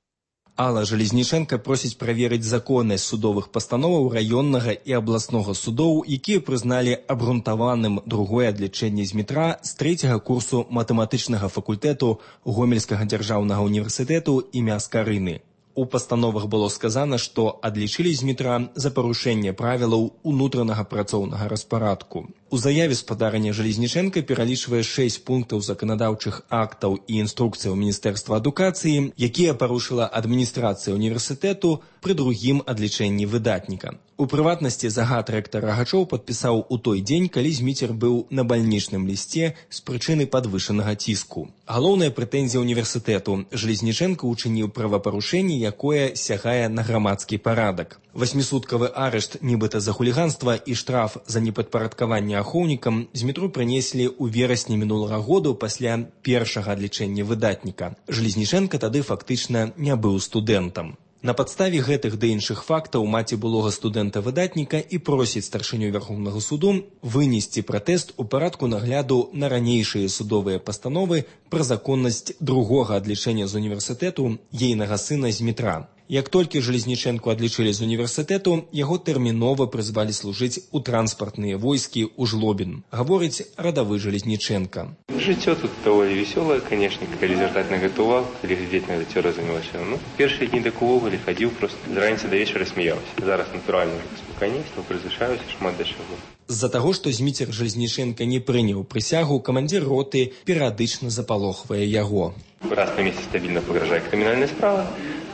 Алла Жалезнічэнка просіць праверыць законнасць судовых пастановаў раённага і абласнога судоў, якія прызналі абгрунтаваным другое адлічэнне Змітра з трэцяга курсу матэматычнага факультэту Гомельскага дзяржаўнага універсітэту імя Скарыны. У пастановах было сказана, што адлічылі Змітра за парушэнне правілаў унутранага працоўнага распарадку. У заяве спадарання Жалезнічэнка пералічвае шэсць пунктаў заканадаўчых актаў і інструкцыяў Міністэрства адукацыі, якія парушыла адміністрацыя універсітэту пры другім адлічэнні выдатніка. У прыватнасці загад рэктар Рагачоў падпісаў у той дзень, калі Зміцер быў на бальнічным лісце з прычыны падвышанага ціску. Галоўная прэтэнзія універсітэту: Жалезнічэнка учыніў правапарушэнне, якое сягае на грамадскі парадак. Васьмісуткавы арышт нібыта за хуліганства і штраф за непадпарадкаванне ахоўнікам Змітру прынеслі ў верасні мінулага году пасля першага адлічэння выдатніка. Жалезнічэнка тады фактычна не быў студэнтам. На падставе гэтых ды іншых фактаў маці былога студэнта-выдатніка і просіць старшыню Вярхоўнага суду вынесці пратэст у парадку нагляду на ранейшыя судовыя пастановы пра законнасць другога адлічэння з універсітэту ейнага сына Змітра. Як толькі Жалезнічэнку адлічылі з універсітэту, яго тэрмінова прызвалі служыць у транспартныя войскі ў Жлобін, гаворыць радавы Жалезнічэнка. Жыццё тут даволі весёлае, конечно, калі звяртаць на гэта увагу, калі глядзець на гэта разумелася. Ну, першыя дні так увогуле хадзіў просто з раніцы да вечара смяяўся. Зараз натуральна спакайнейства, прызвычаюся шмат да чаго. З-за таго, што Зміцер Жалезнічэнка не прыняў прысягу, камандзір роты перыядычна запалохвае яго. Раз на месяц стабільна пагражае крымінальная справа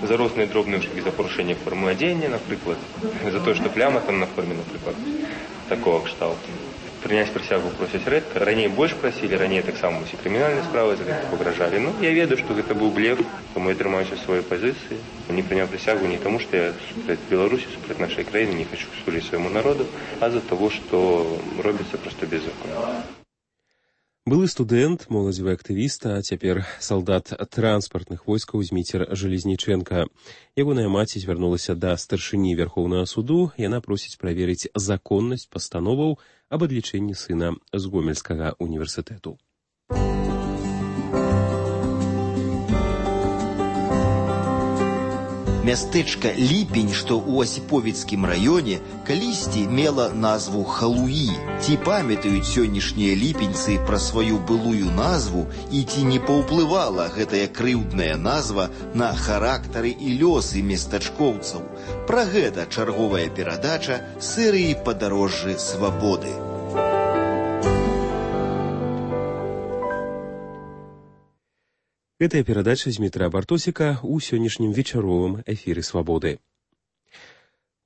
за розныя дробныя ўшукі, за парушэнне формы адзення, напрыклад, за тое, што пляма там на форме, напрыклад, такого кшталту. Прыняць прысягу просяць рэдка. Раней больш прасілі, раней таксама усе крымінальныя справы за гэта пагражалі. Ну, я ведаю, што гэта быў блеф, тому я трымаюся сваёй пазіцыі. Не прыняў прысягу не таму, што я супраць Беларусі, супраць нашай краіны не хочу служыць свайму народу, а за таго, што робіцца проста беззаконна. Былы студэнт, моладзевы актывіст, а цяпер салдат транспартных войскаў Зміцер Жалезнічэнка. Ягоная маці звярнулася да старшыні Вярхоўнага суду. Яна просіць праверыць законнасць пастановаў аб адлічэнні сына з Гомельскага універсітэту. Мястэчка Ліпень, што ў Асіповіцкім раёне, калісьці мела назву Халуі. Ці памятаюць сённяшнія ліпеньцы пра сваю былую назву і ці не паўплывала гэтая крыўдная назва на характары і лёсы местачкоўцаў? Пра гэта чарговая перадача серыі «Падарожжы свабоды». Гэтая перадача Змітра Бартосіка ў сённяшнім вечаровым эфіры «Свабоды».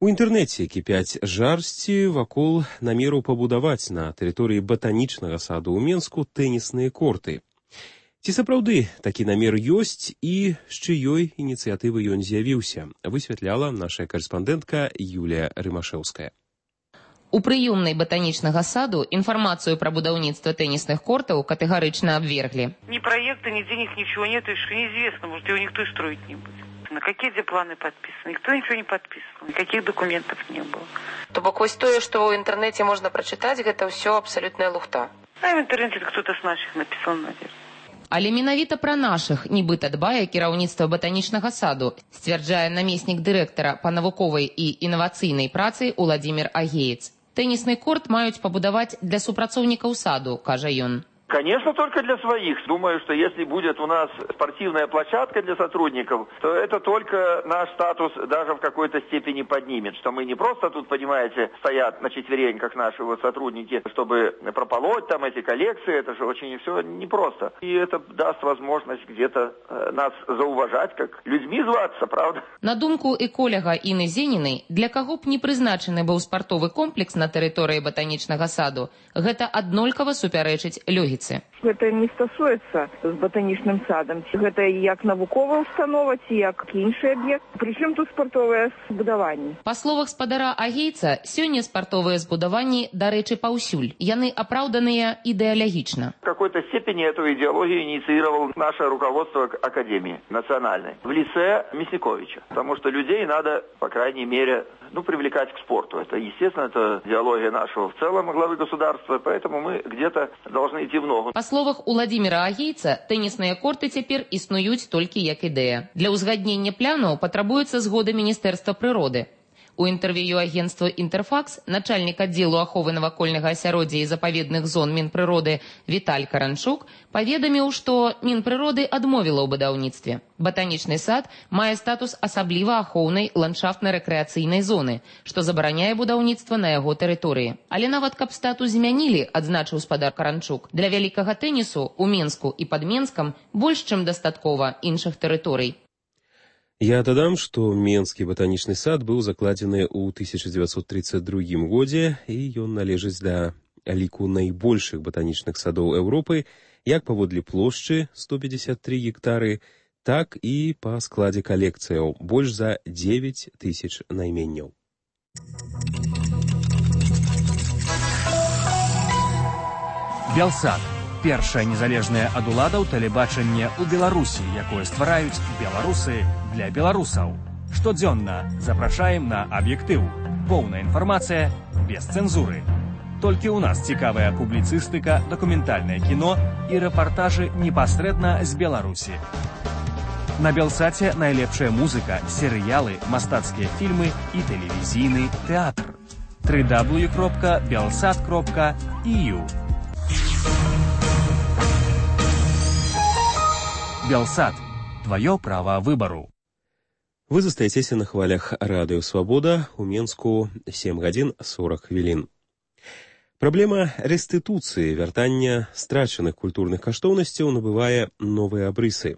У інтэрнэце кіпяць жарсці вакол намеру пабудаваць на тэрыторыі батанічнага саду ў Менску тэнісныя корты. Ці сапраўды такі намер ёсць і з чыёй ініцыятывы ён з'явіўся, высвятляла наша карэспандэнтка Юлія Рымашэўская. У прыёмнай батанічнага саду информацию про будаўніцтва теннисных кортов категорично обвергли. Ни проекта, ни денег, ничего нет, и что неизвестно, может, его никто и строить не будет. На какие где планы подписаны? Никто ничего не подписывал, никаких документов не было. То бок вось тое, што ў інтэрнэце можна прачытаць, гэта ўсё абсалютная лухта. А в интернете кто-то с наших написал, наверное. Але менавіта пра нашых нібыта дбае кіраўніцтва батанічнага саду, сцвярджае намеснік дырэктара па навуковай і інавацыйнай працы Уладзімір Агеец. Теннисный корт маюць пабудаваць для супрацоўнікаў саду, кажа ён. Конечно, только для своих. Думаю, что если будет у нас спортивная площадка для сотрудников, то это только наш статус даже в какой-то степени поднимет. Что мы не просто тут, понимаете, стоят на четвереньках наши вот сотрудники, чтобы прополоть там эти коллекции. Это же очень все непросто. И это даст возможность где-то нас зауважать, как людьми зваться, правда? На думку эколога Інны Зенінай, для каго б не прызначаны быў спартовы комплекс на тэрыторыі батанічнага саду, гэта аднолькава супярэчыць логіцы. Гэта не стасуецца з батанічным садам. Гэта як навуковая установа, ці як іншы аб'ект. Прычым тут спартовыя збудаванні. Па словах спадара Агейца, сёння спартовыя збудаванні, дарэчы, паўсюль. Яны апраўданыя ідэалагічна. В какой-то степени эту идеологию инициировало наше руководство Академии национальной в лице Мясниковича. Потому что людей надо, по крайней мере, ну, привлекать к спорту. Это, естественно, это идеология нашего в целом главы государства, поэтому мы где-то должны идти в ногу. Па словах Уладзіміра Агейца, тэнісныя корты цяпер існуюць толькі як ідэя. Для ўзгаднення планаў патрабуецца згода Міністэрства прыроды. У інтэрв'ю агенцтва «Інтэрфакс» начальнік аддзелу аховы навакольнага асяроддзя і запаведных зон Мінпрыроды Віталь Каранчук паведаміў, што Мінпрыроды адмовіла ў будаўніцтве. Батанічны сад мае статус асабліва ахоўнай ландшафтна-рэкрэацыйнай зоны, што забараняе будаўніцтва на яго тэрыторыі. Але нават каб статус змянілі, адзначыў спадар Каранчук, для вялікага тэнісу ў Менску і пад Менскам больш чым дастаткова іншых тэрыторый. Я дадам, што Менскі батанічны сад быў закладзены ў тысяча дзевяцьсот тридцать другім годзе, і ён належыць да ліку найбольшых батанічных садоў Еўропы, як паводле плошчы сто пятьдесят три гектары, так і па складзе калекцыяў больш за девять тысяч найменняў. Белсад. Першае незалежнае ад уладаў тэлебачанне ў Беларусі, якое ствараюць беларусы для беларусаў. Штодзённа запрашаем на аб'ектыў. Поўная інфармацыя без цэнзуры. Толькі ў нас цікавая публіцыстыка, дакументальнае кіно і рэпартажы непасрэдна з Беларусі. На Белсаце найлепшая музыка, серыялы, мастацкія фільмы і тэлевізійны тэатр. дабл ю дабл ю дабл ю кропка белсат кропка і ю. Белсат. Твое право выбору. Вы застаецеся на хвалях радыё «Свабода», у Менску сем гадзін сорок хвілін. Праблема рэстытуцыі, вяртання страчаных культурных каштоўнасцяў набывае новыя абрысы.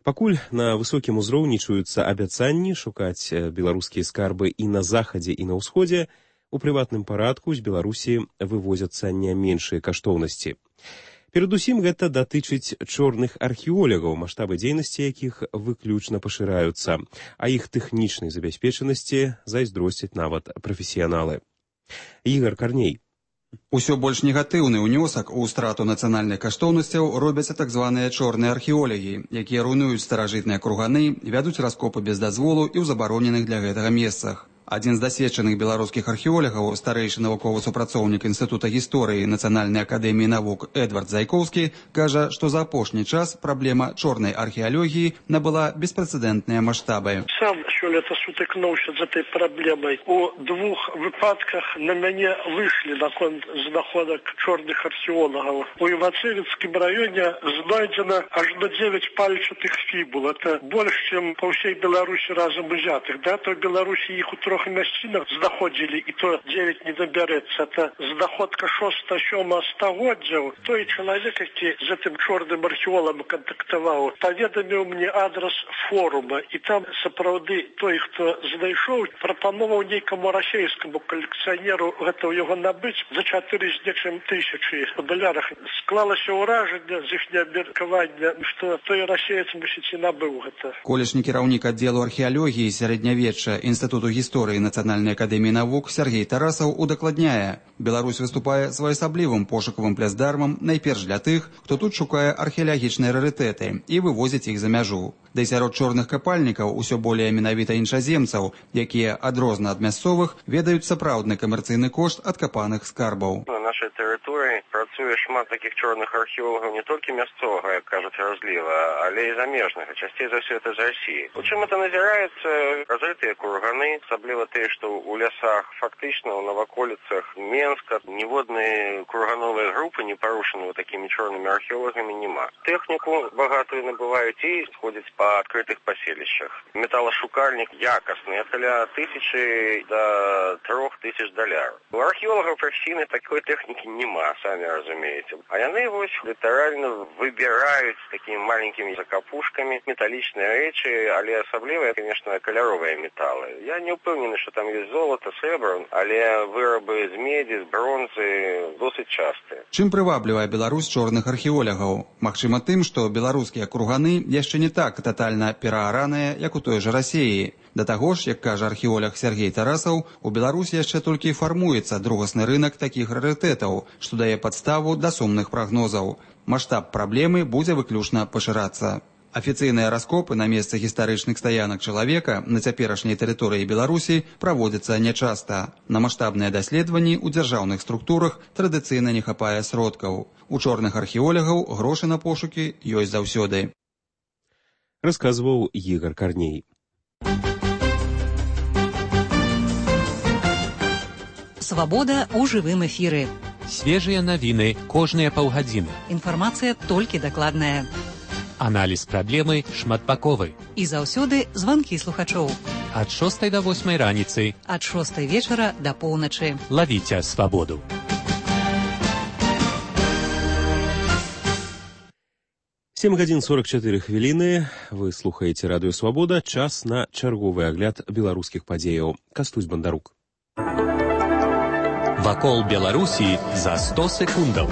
Пакуль на высокім узроўні чуюцца абяцанні шукаць беларускія скарбы і на захадзе, і на ўсходзе, у прыватным парадку з Беларусі вывозяцца не меншыя каштоўнасці. Перадусім гэта датычыць чорных археолагаў, маштабы дзейнасці якіх выключна пашыраюцца, а іх тэхнічнай забяспечанасці зайздросцяць нават прафесіяналы. Ігар Карней. Усё больш негатыўны ўнёсак у страту нацыянальных каштоўнасцяў робяць так званыя чорныя археолагі, якія руйнуюць старажытныя курганы, вядуць раскопы без дазволу і ў забароненых для гэтага месцах. Адзін з дасведчаных беларускіх археолагаў, старэйшы навуковы супрацоўнік Інстытута гісторыі Нацыянальнай акадэміі навук Эдвард Зайкоўскі, кажа, што за апошні час праблема чорнай археалогіі набыла беспрэцэдэнтныя маштабы. Сам сёлета сутыкнуўся з этой праблемай. У двух выпадках на мяне выйшлі наконт знаходак чорных археолагаў. У Івацевіцкім раёне знойдзена аж на дзевяць пальчатых фібул. Это больш, чым па ўсей Беларусі разам узятых. Да, то в Беларусі іх у трох мясцінах знаходзілі, і то дзевяць не набярэцца. Это знаходка шоста-сёмага стагоддзяў. Той чалавек, які з гэтым чорным археолагам кантактаваў, паведаміў мне адрас форума, і там сапраўды той, хто знайшоў, прапановаў нейкаму расейскаму калекцыянеру гэта ў яго набыць за чатыры з нечым тысячы у далярах. Склалася ўражанне з іхняга меркавання, што той расеец, мусіць, і набыў гэта. Колішні кіраўнік аддзелу археалогіі сярэднявечча Інстытуту гісторыі Нацыянальнай акадэміі навук Сергей Тарасаў удакладняе, Беларусь выступае своеасаблівым пошукавым пляцдармам найперш для тых, хто тут шукае археалагічныя рарытэты і вывозіць іх за мяжу. Да і сярод чорных капальнікаў усё болей менавіта іншаземцаў, якія адрозна ад мясцовых ведаюць сапраўдны камерцыйны кошт адкапаных скарбаў. На нашай тэрыторыі працуе шмат такіх чорных археолагаў не толькі мясцовага, як кажуць разліва, але і замежнага, часцей за ўсё это з Расіі. У чым это назіраецца? Разрытыя курганы, асабліва тыя, што ў лясах, фактычна ў наваколіцах Менска ніводнай кургановай групы не парушаны такімі чорнымі археолагамі няма. Тэхніку багатую набываюць і сходзяць па адкрытых паселішчах. Металашукальнік якасны, каля тысячы да трох тысяч даляраў. У археолагаў прафесійнай такой тэхнікі няма, самі разумееце. А яны вось літаральна выбіраюць такімі маленькімі закапушкамі металічныя рэчы, але асабліва, конечно, каляровыя металы. Я не ўпэўнены, што там ёсць золата, срэбра, але вырабы з медзі, з бронзы досыць частыя. Чым прываблівае Беларусь чорных археолагаў? Магчыма тым, што беларускія курганы яшчэ не так тотальна пераараныя, як у той жа Расіі. Да таго ж, як кажа археолог Сергей Тарасаў, у Беларусі яшчэ толькі фармуецца другасны рынак такіх рарытэтаў, што дае падставу да сумных прагнозаў. Маштаб праблемы будзе выключна пашырацца. Афіцыйныя раскопы на месцы гістарычных стаянак чалавека на цяперашняй тэрыторыі Беларусі праводзяцца нячаста. На маштабныя даследаванні ў дзяржаўных структурах традыцыйна не хапае сродкаў. У чорных археолагаў грошы на пошукі ёсць заўсёды. Расказваў Ігар Карней. Свабода ў жывым эфіры. Свежыя навіны кожныя паўгадзіны. Інфармацыя толькі дакладная. Аналіз праблемы шматбаковы. І заўсёды званкі слухачоў. Ад шостай да восьмай раніцы. Ад шостай вечара да поўначы. Лавіце свабоду. сем гадзін сорок чатыры хвіліны. Вы слухаеце радыё «Свабода». Час на чарговы агляд беларускіх падзеяў. Кастусь Бандарук. Вакол Беларусі за сто секундаў.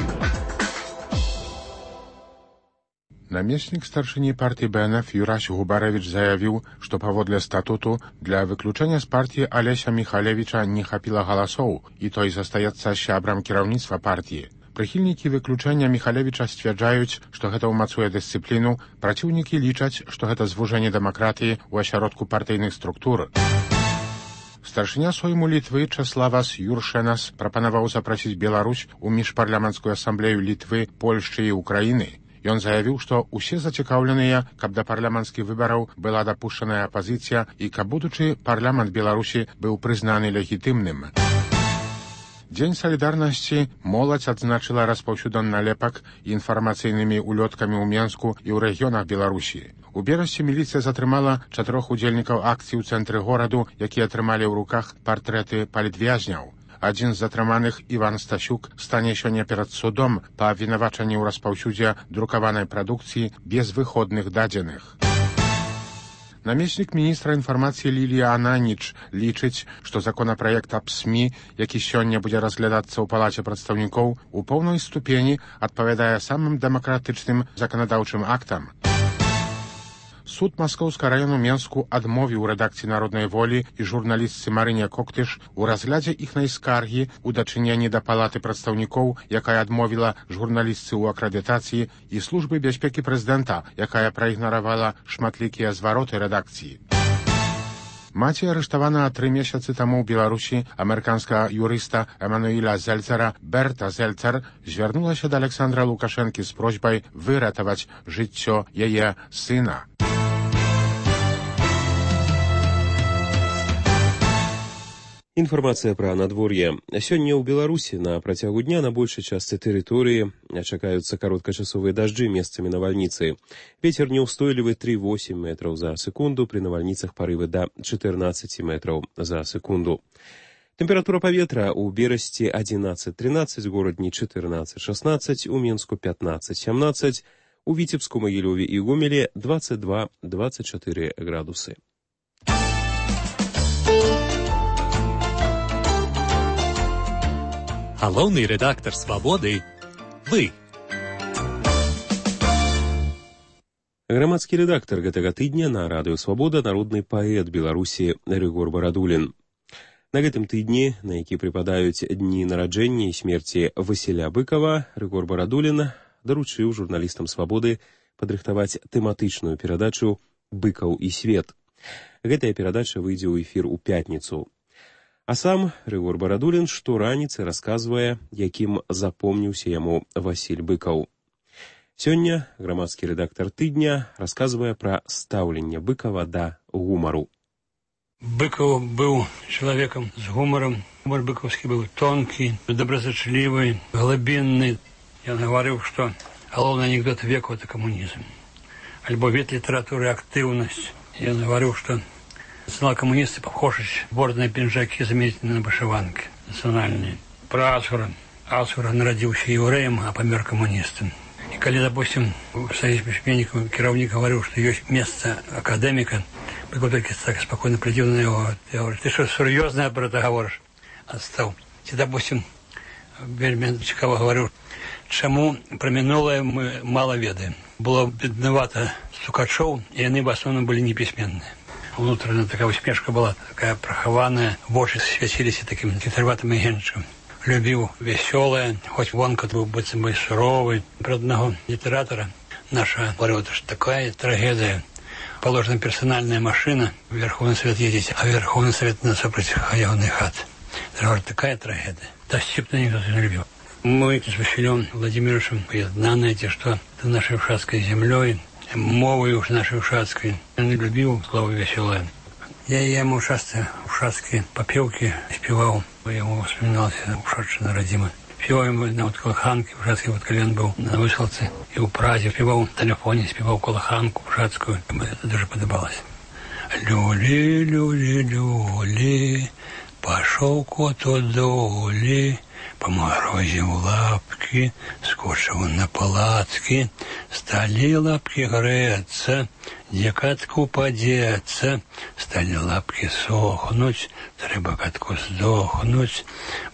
Намеснік старшыні партыі Бэ Эн Эф Юрась Губарэвіч заявіў, што паводле статуту для выключэння з партыі Алеся Міхалевіча не хапіла галасоў, і той застаецца сябрам кіраўніцтва партыі. Прыхільнікі выключэння Міхалевіча сцвярджаюць, што гэта ўмацуе дысцыпліну, праціўнікі лічаць, што гэта звужэнне дэмакратыі ў асяродку партыйных структур. Старшыня Сойму Літвы Чаславас Юршэнас прапанаваў запрасіць Беларусь у міжпарламенцкую асамблею Літвы, Польшчы і Украіны Ён заявіў, што ўсе зацікаўленыя, каб да парламенцкіх выбараў была дапушчаная апазіцыя і каб будучы парламент Беларусі быў прызнаны легітымным. Дзень салідарнасці моладзь адзначыла распаўсюдам налепак інфармацыйнымі улёткамі ў Менску і ў рэгіёнах Беларусі. У берасці міліцыя затрымала чатырох удзельнікаў акцыі ў цэнтры гораду, якія атрымалі ў руках партрэты палітвязняў. Адзін з затрыманых, Іван Стасюк, стане сёння перад судом па абвінавачанні ў распаўсюдзе друкаванай прадукцыі без выходных дадзеных. Намеснік міністра інфармацыі Лілія Ананіч лічыць, што законапраект аб СМІ, які сёння будзе разглядацца ў палаце прадстаўнікоў, у поўнай ступені адпавядае самым дэмакратычным заканадаўчым актам. Суд Маскоўскага раёну Менску адмовіў рэдакцыі «Народнай волі» і журналістцы Марыне Коктыш у разглядзе іхнай скаргі ў дачыненні да палаты прадстаўнікоў, якая адмовіла журналістцы ў акрэдытацыі, і службы бяспекі прэзідэнта, якая праігнаравала шматлікія звароты рэдакцыі. Маці арыштавана тры месяцы таму ў Беларусі амерыканскага юрыста Эмануіля Зельцера Берта Зельцер звярнулася да Александра Лукашэнкі з просьбай выратаваць жыццё яе сына. Інфармацыя пра надвор'е. Сёння ў Беларусі на працягу дня на большай частцы тэрыторыі чакаюцца кароткачасовыя дажджы, месцамі навальніцы. Вецер няўстойлівы тры восемь метраў за секунду, пры навальніцах парывы да чатырнаццаць метраў за секунду. Тэмпература паветра ў Берасці адзінаццаць трынаццаць, горадні чатырнаццаць шаснаццаць, у Менску пятнаццаць сямнаццаць, у Віцебску, Магілёве і Гомелі дваццаць два дваццаць чатыры градусы. Галоўны рэдактар «Свабоды» – вы. Грамадскі рэдактар гэтага тыдня на радыё «Свабода» народны паэт Беларусі Рыгор Барадулін. На гэтым тыдні, на які прыпадаюць дні нараджэння і смерці Васіля Быкова, Рыгор Барадулін даручыў журналістам «Свабоды» падрыхтаваць тэматычную перадачу «Быкаў і свет». Гэтая перадача выйдзе ў эфір у пятніцу. А сам Рыгор Барадулін штораніцы расказвае, якім запомніўся яму Васіль Быкаў. Сёння грамадскі рэдактар тыдня расказвае пра стаўленне Быкава да гумару. Быкаў быў чалавекам з гумарам. Гумар быкаўскі быў тонкі, добразычлівы, глыбінны. Ён гаварыў, што галоўны анекдот веку — это камунізм. Альбо від літаратуры актыўнасць. Ён гаварыў, што национал коммунисты похожи бордные пинжаки заметили на вышиванки национальные. Про Асура. Асура народился евреем, а помер коммунистом. И когда, допустим, в Союзе письменников керовник говорил, что есть место академика, Быков только так спокойно глядел на него. Я говорю: ты что, серьезно про это говоришь? Отстал. И, допустим, вельми цікаво говорил, чему про минулое мы мало ведаем. Было бедновато стукачов, и они в основном были неписьменные. Внутренняя такая усмешка была, такая прохованная, в очи светились таким хитроватым агентчиком. Любил веселое, хоть Вонка был быть бы суровый. Про одного литератора наша говорила, что такая трагедия. Положена персональная машина, в Верховный Совет ездить, а Верховный Совет на сопротивленный хат. Это такая трагедия. Да степно никто не любил. Мы с Василем Владимировичем поединаны, что это нашей ушатской землей, мовой уж нашей ушатской. Он любил слово веселое. Я ему часто ушатские попевки спевал. Я ему вспоминался ушедший на родимый. Спевал ему на вот колоханке, ушатский вот колен был на высылце. И у Празе спевал на телефоне, спевал колоханку ушатскую. Это даже подобалось. Люли, люли, люли, пошел кот от доли. По морозе в лапки, скочил на палатки, стали лапки греться, где катку подеться, стали лапки сохнуть, треба катку сдохнуть,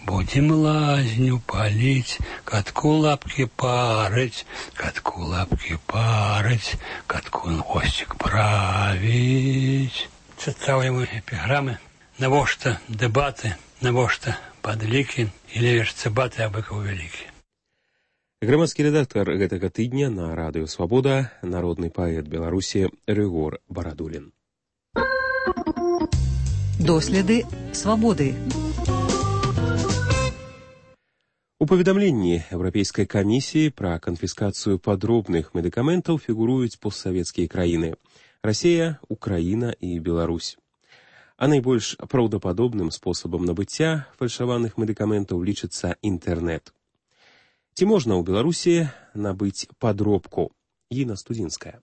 будем лазню палить, катку лапки парить, катку лапки парить, катку хвостик править. Читал ему эпиграммы, навошта дебаты, навошта падлікі і левеш цыбаты, а Быкаў вялікі. Грамадскі рэдактар гэтага тыдня на радыё «Свабода» народны паэт Беларусі Рыгор Барадулін. Доследы свабоды. У паведамленні Еўрапейскай камісіі пра канфіскацыю падробных медыкаментаў фігуруюць постсавецкія краіны – Расія, Украіна і Беларусь. А найбольш праўдападобным спосабам набыцця фальшаваных медыкаментаў лічыцца інтэрнэт. Ці можна ў Беларусі набыць падробку? Інна Студзінская.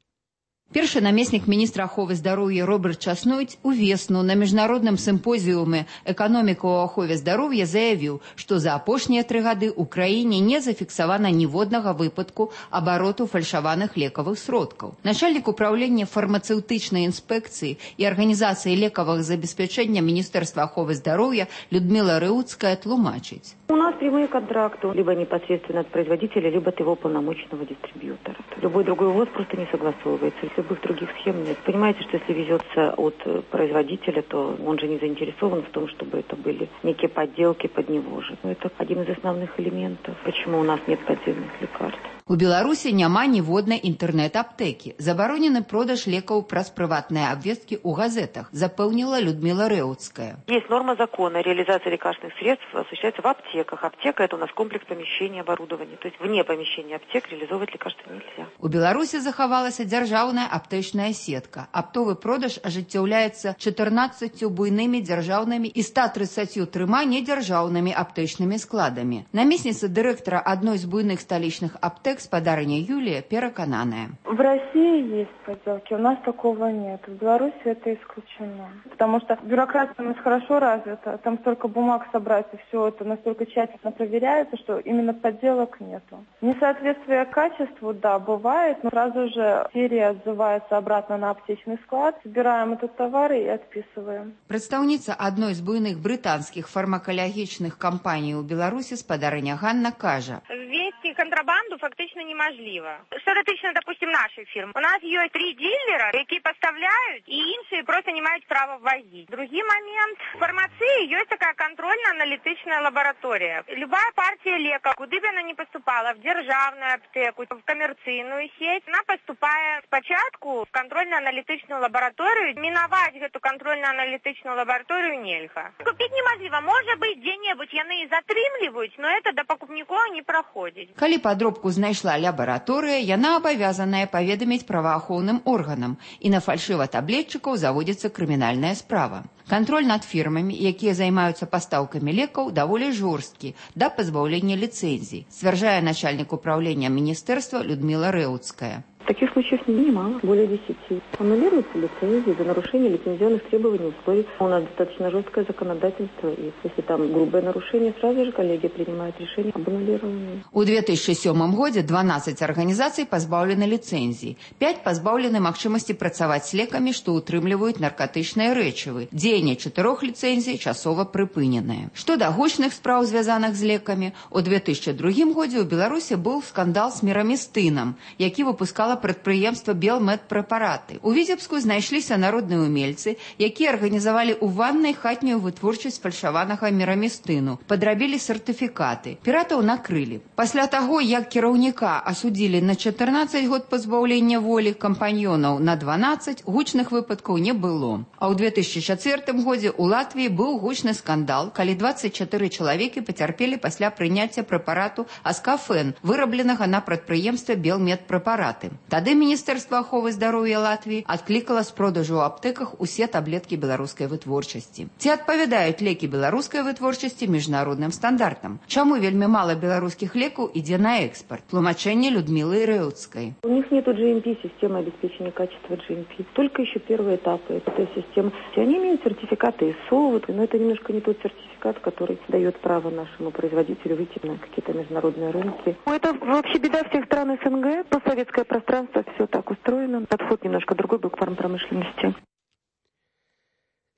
Першы намеснік міністра аховы здароўя Роберт Часнойць увесну на міжнародным сімпозіуме «Эканоміка ў ахове здароўя» заявіў, што за апошнія тры гады ў краіне не зафіксавана ніводнага выпадку абароту фальшаваных лекавых сродкаў. Начальнік управлення фармацэўтычнай інспекцыі і арганізацыі лекавых забеспячэння Міністэрства аховы здароўя Людмила Рэуцкая тлумачыць. У нас прямые контракты, либо непосредственно от производителя, либо от его полномочного дистрибьютора. Любой другой ВОЗ просто не согласовывается. Любых других схем нет. Понимаете, что если везется от производителя, то он же не заинтересован в том, чтобы это были некие подделки под него же. Это один из основных элементов, почему у нас нет поддельных лекарств. У Беларусі няма ніводнай інтэрнэт-аптэкі. Забаронены продаж лекаў праз прыватныя абвесткі ў газетах, запэўніла Людмила Рэуцкая. Есть норма закона. Реализация лекарственных средств осуществляется в аптеках. Аптека – это у нас комплекс помещения, оборудования. То есть вне помещения аптек реализовывать лекарства нельзя. У Беларусі захавалася дзяржаўная аптэчная сетка. Аптовы продаж ажыццяўляецца чатырнаццаццю буйнымі дзяржаўнымі і ста трыццаццю трыма недзяржаўнымі аптэчнымі складамі. Намесніца дырэктара адной з буйных сталічных аптэк господарыня Юлия переконаная. В России есть подделки, у нас такого нет. В Беларуси это исключено. Потому что бюрократия у нас хорошо развита, там столько бумаг собрать, и все это настолько тщательно проверяется, что именно подделок нету. Несоответствие качеству, да, бывает, но сразу же серия отзывается обратно на аптечный склад, собираем этот товар и отписываем. Представница одной из буйных британских фармакалагічных компаний у Беларуси спадарыня Ганна кажа. Вести контрабанду фактично неможливо. Что дотычна, допустим, нашей фирмы. У нас есть три дилера, які поставляют, и іншие просто не мають права ввозить. Другий момент. В фармації есть такая контрольно-аналитичная лаборатория. Любая партия леков, куди б она не поступала, в державную аптеку, в коммерційную сеть, она поступает спочатку в контрольно-аналитичную лабораторию. Миновать эту контрольно-аналитичную лабораторию нельзя. Купить неможливо. Может быть, где-нибудь яны и затрымливают, но это до покупников не проходит. Калі падробку знайшла лабараторыя, яна абавязаная паведаміць праваахоўным органам, і на фальшыва-таблетчыкаў заводзіцца крымінальная справа. Кантроль над фірмамі, якія займаюцца пастаўкамі лекаў, даволі жорсткі да пазбаўлення ліцэнзій, сцвярджае начальнік управлення міністэрства Людмила Рэуцкая. Таких случаев немало, более десяти. Аннулируются лицензии за нарушение лицензионных требований и условий. У нас достаточно жесткое законодательство, и если там грубое нарушение, сразу же коллегия принимает решение об аннулировании. У две тысячи сёмым годзе дванаццаць арганізацый пазбаўлены ліцэнзій, пяць пазбаўлены магчымасці працаваць з лекамі, што ўтрымліваюць наркатычныя рэчывы. Дзеянне чатырох ліцэнзій часова прыпыненае. Што да гучных спраў, звязаных з лекамі, у две тысячи другім годзе ў Беларусі быў скандал з мірамістынам, які выпускала прадпрыемства Белмедпрэпараты. У Віцебску знайшліся народныя умельцы, якія арганізавалі ў ваннай хатнюю вытворчасць фальшаванага мірамістыну, падрабілі сертыфікаты. Піратаў накрылі. Пасля таго, як кіраўніка асудзілі на чатырнаццаць год пазбаўлення волі, кампаньёнаў на дванаццаць, гучных выпадкаў не было. А ў две тысячи чацвёртым годзе ў Латвіі быў гучны скандал, калі дваццаць чатыры чалавекі пацярпелі пасля прыняцця прэпарату аскафен, вырабленага на прадпрыемстве Белмедпрэпараты. Тады Міністэрства аховы здароўя Латвіі адклікала з продажу ў аптэках усе таблеткі беларускай вытворчасці. Ці адпавядаюць лекі беларускай вытворчасці міжнародным стандартам? Чаму вельмі мала беларускіх лекаў ідзе на экспорт? Тлумачэнне Людмилы Рэуцкай. У них нету джи эм пи, системы обеспечения качества джи эм пи. Только еще первые этапы этой системы. Они имеют сертификаты ИСО, но это немножко не тот сертификат, который дает право нашему производителю выйти на какие-то международные рынки. Это вообще беда всех стран СНГ, постсоветское пространство. Все так устроено. Подход немножко другой был к фармпромышленности.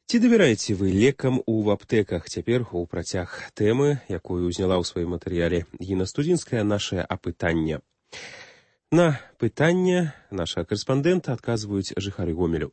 Ці давяраеце вы лекам у аптэках? Цяпер у працяг тэмы, якую ўзняла ў сваім матэрыяле Інна Студзінская, наше апытанне. На пытанне нашага карэспандэнта адказваюць жыхары Гомелю.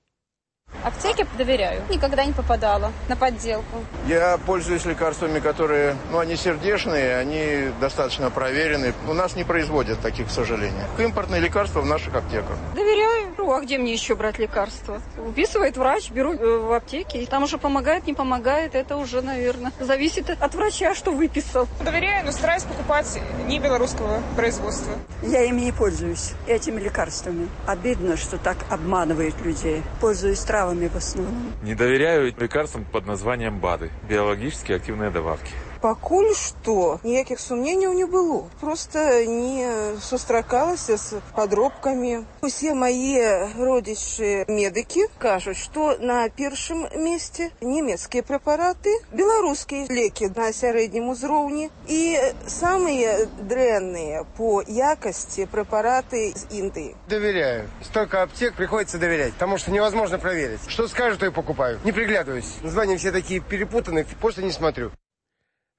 Аптеке доверяю. Никогда не попадала на подделку. Я пользуюсь лекарствами, которые, ну, они сердечные, они достаточно проверены. У нас не производят таких, к сожалению. Импортные лекарства в наших аптеках. Доверяю. беру, а где мне еще брать лекарства? Выписывает врач, беру в аптеке. Там уже помогает, не помогает, это уже, наверное, зависит от врача, что выписал. Доверяю, но стараюсь покупать не белорусского производства. Я ими не пользуюсь, этими лекарствами. Обидно, что так обманывают людей. Пользуюсь травами в основном. Не доверяю лекарствам под названием БАДы. Биологически активные добавки. Пакуль што ніякіх сумненняў не было. Просто не сустракалася з падробкамі. Усе мае родзічы медыкі кажуць, што на першым месцы нямецкія прэпараты, беларускія лекі на сярэднім узроўні і самыя дрэнныя по якасці прэпараты з Індыі. Доверяю. Столько аптек приходится доверять, потому что невозможно проверить. Что скажут, то и покупаю. Не приглядываюсь. Названия все такие перепутанные, просто не смотрю.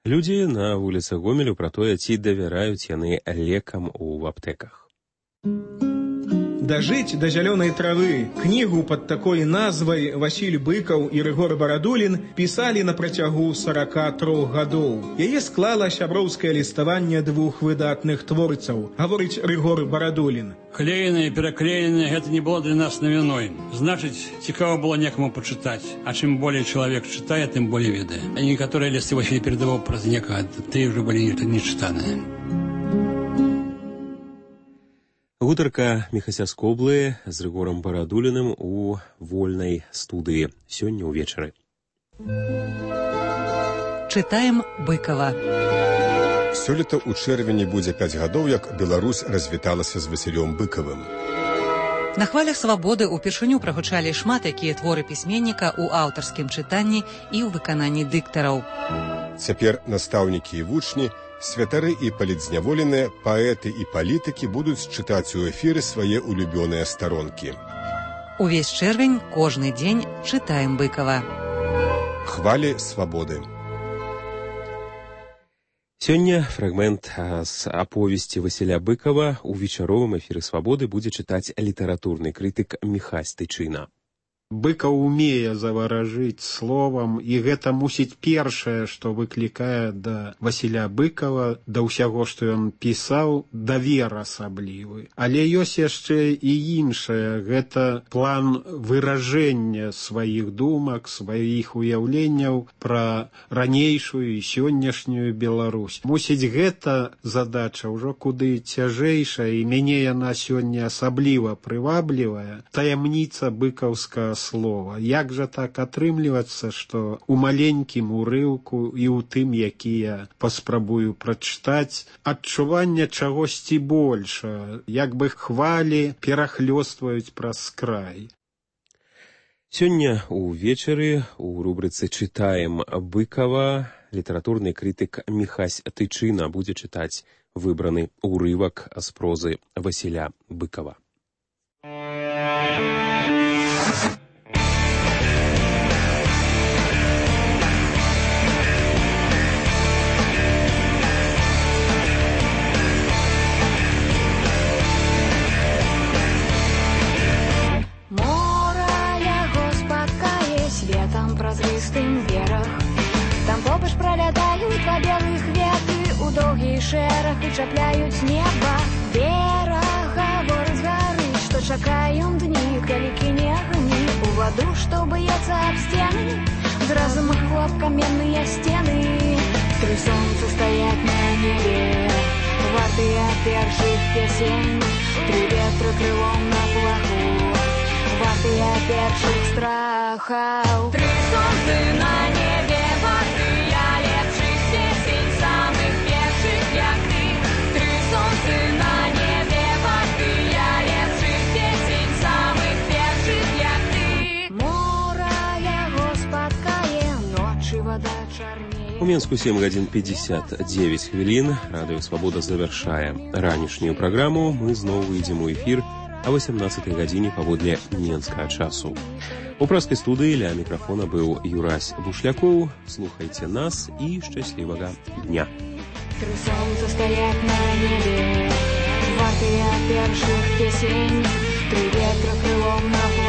Людзі на вуліцах Гомелю пра тое, ці давяраюць яны лекам у аптэках. «Дожить до зеленой травы» книгу под такой назвай Василь Быкаў і Рыгор Барадулін пісалі на працягу сорока трох гадоў. Яе склала сяброўскае ліставанне двух выдатных творцаў, гаворыць Рыгор Барадулін. Клеенное, переклеенное, это не было для нас новиной. Значит, цікаво было некому почитать. А чем более человек читает, тем более ведает. А некоторые листы Василий передавал про некого, ты уже были не читанные. Гутарка Міхася Скоблы з Рыгорам Барадуліным у вольнай студыі сёння ўвечары. Чытаем Быкава. Сёлета ў чэрвені будзе пяць гадоў, як Беларусь развіталася з Васілём Быкавым. На хвалях свабоды ўпершыню прагучалі шмат якія творы пісьменніка ў аўтарскім чытанні і ў выкананні дыктараў. Цяпер настаўнікі і вучні, святары і палітзняволеныя, паэты і палітыкі будуць чытаць у эфіры свае улюбёныя старонкі. Увесь чэрвень кожны дзень чытаем Быкава. Хвалі свабоды. Сёння фрагмент з аповесці Васіля Быкава у вечаровым эфіры свабоды будзе чытаць літаратурны крытык Міхась Тычына. Быкаў умее заваражыць словам, і гэта мусіць першае, што выклікае да Васіля Быкава, да ўсяго, што ён пісаў, давер асаблівы. Але ёсць яшчэ і іншае, гэта план выражэння сваіх думак, сваіх уяўленняў пра ранейшую і сённяшнюю Беларусь. Мусіць, гэта задача ўжо куды цяжэйшая, і мяне яна сёння асабліва прываблівая. Таямніца быкаўскага слова. Як жа так атрымлівацца, што у маленькім урыўку і ў тым, які я паспрабую прачытаць, адчуванне чагосьці больша, як бы хвалі перахлёстваюць праз край. Сёння увечары у рубрыцы «Чытаем Быкава» літаратурны крытык Міхась Тычына будзе чытаць выбраны ўрывак з прозы Васіля Быкава. Празрыстым бераг. Там побач пролятаюць два белых веты у доўгі шэраг і чапляюць неба. Бераг гаворыць гарыць, што чакаем дні, калі кіне агні у ваду, што б'ецца аб сцены. Зразу хлоп каменныя сцены. Тры сонца стаяць на небе, вартыя першых песень. Тры ветры крылом на плаху, вартыя першых страхаў. Тры сонцы на небе, вартыя лепшых песень, самых першых, як ты. Тры сонцы на небе, вартыя лепшых песень, самых першых, як ты. Мора яго спаткае, ночы вада чарнее. У Менску сем гадзін пятьдесят девять хвілін. Радыё Свабода завяршае ранішнюю праграму. Мы зноў выйдзем у эфір а восемнадцатай гадзіне паводле менскага часу. У праскай студыі ля мікрафона быў Юрась Бушлякоў. Слухайце нас і шчаслівага дня. Тры сонца стаяць на небе, вартыя першых песень, тры ветра крылом на плаху.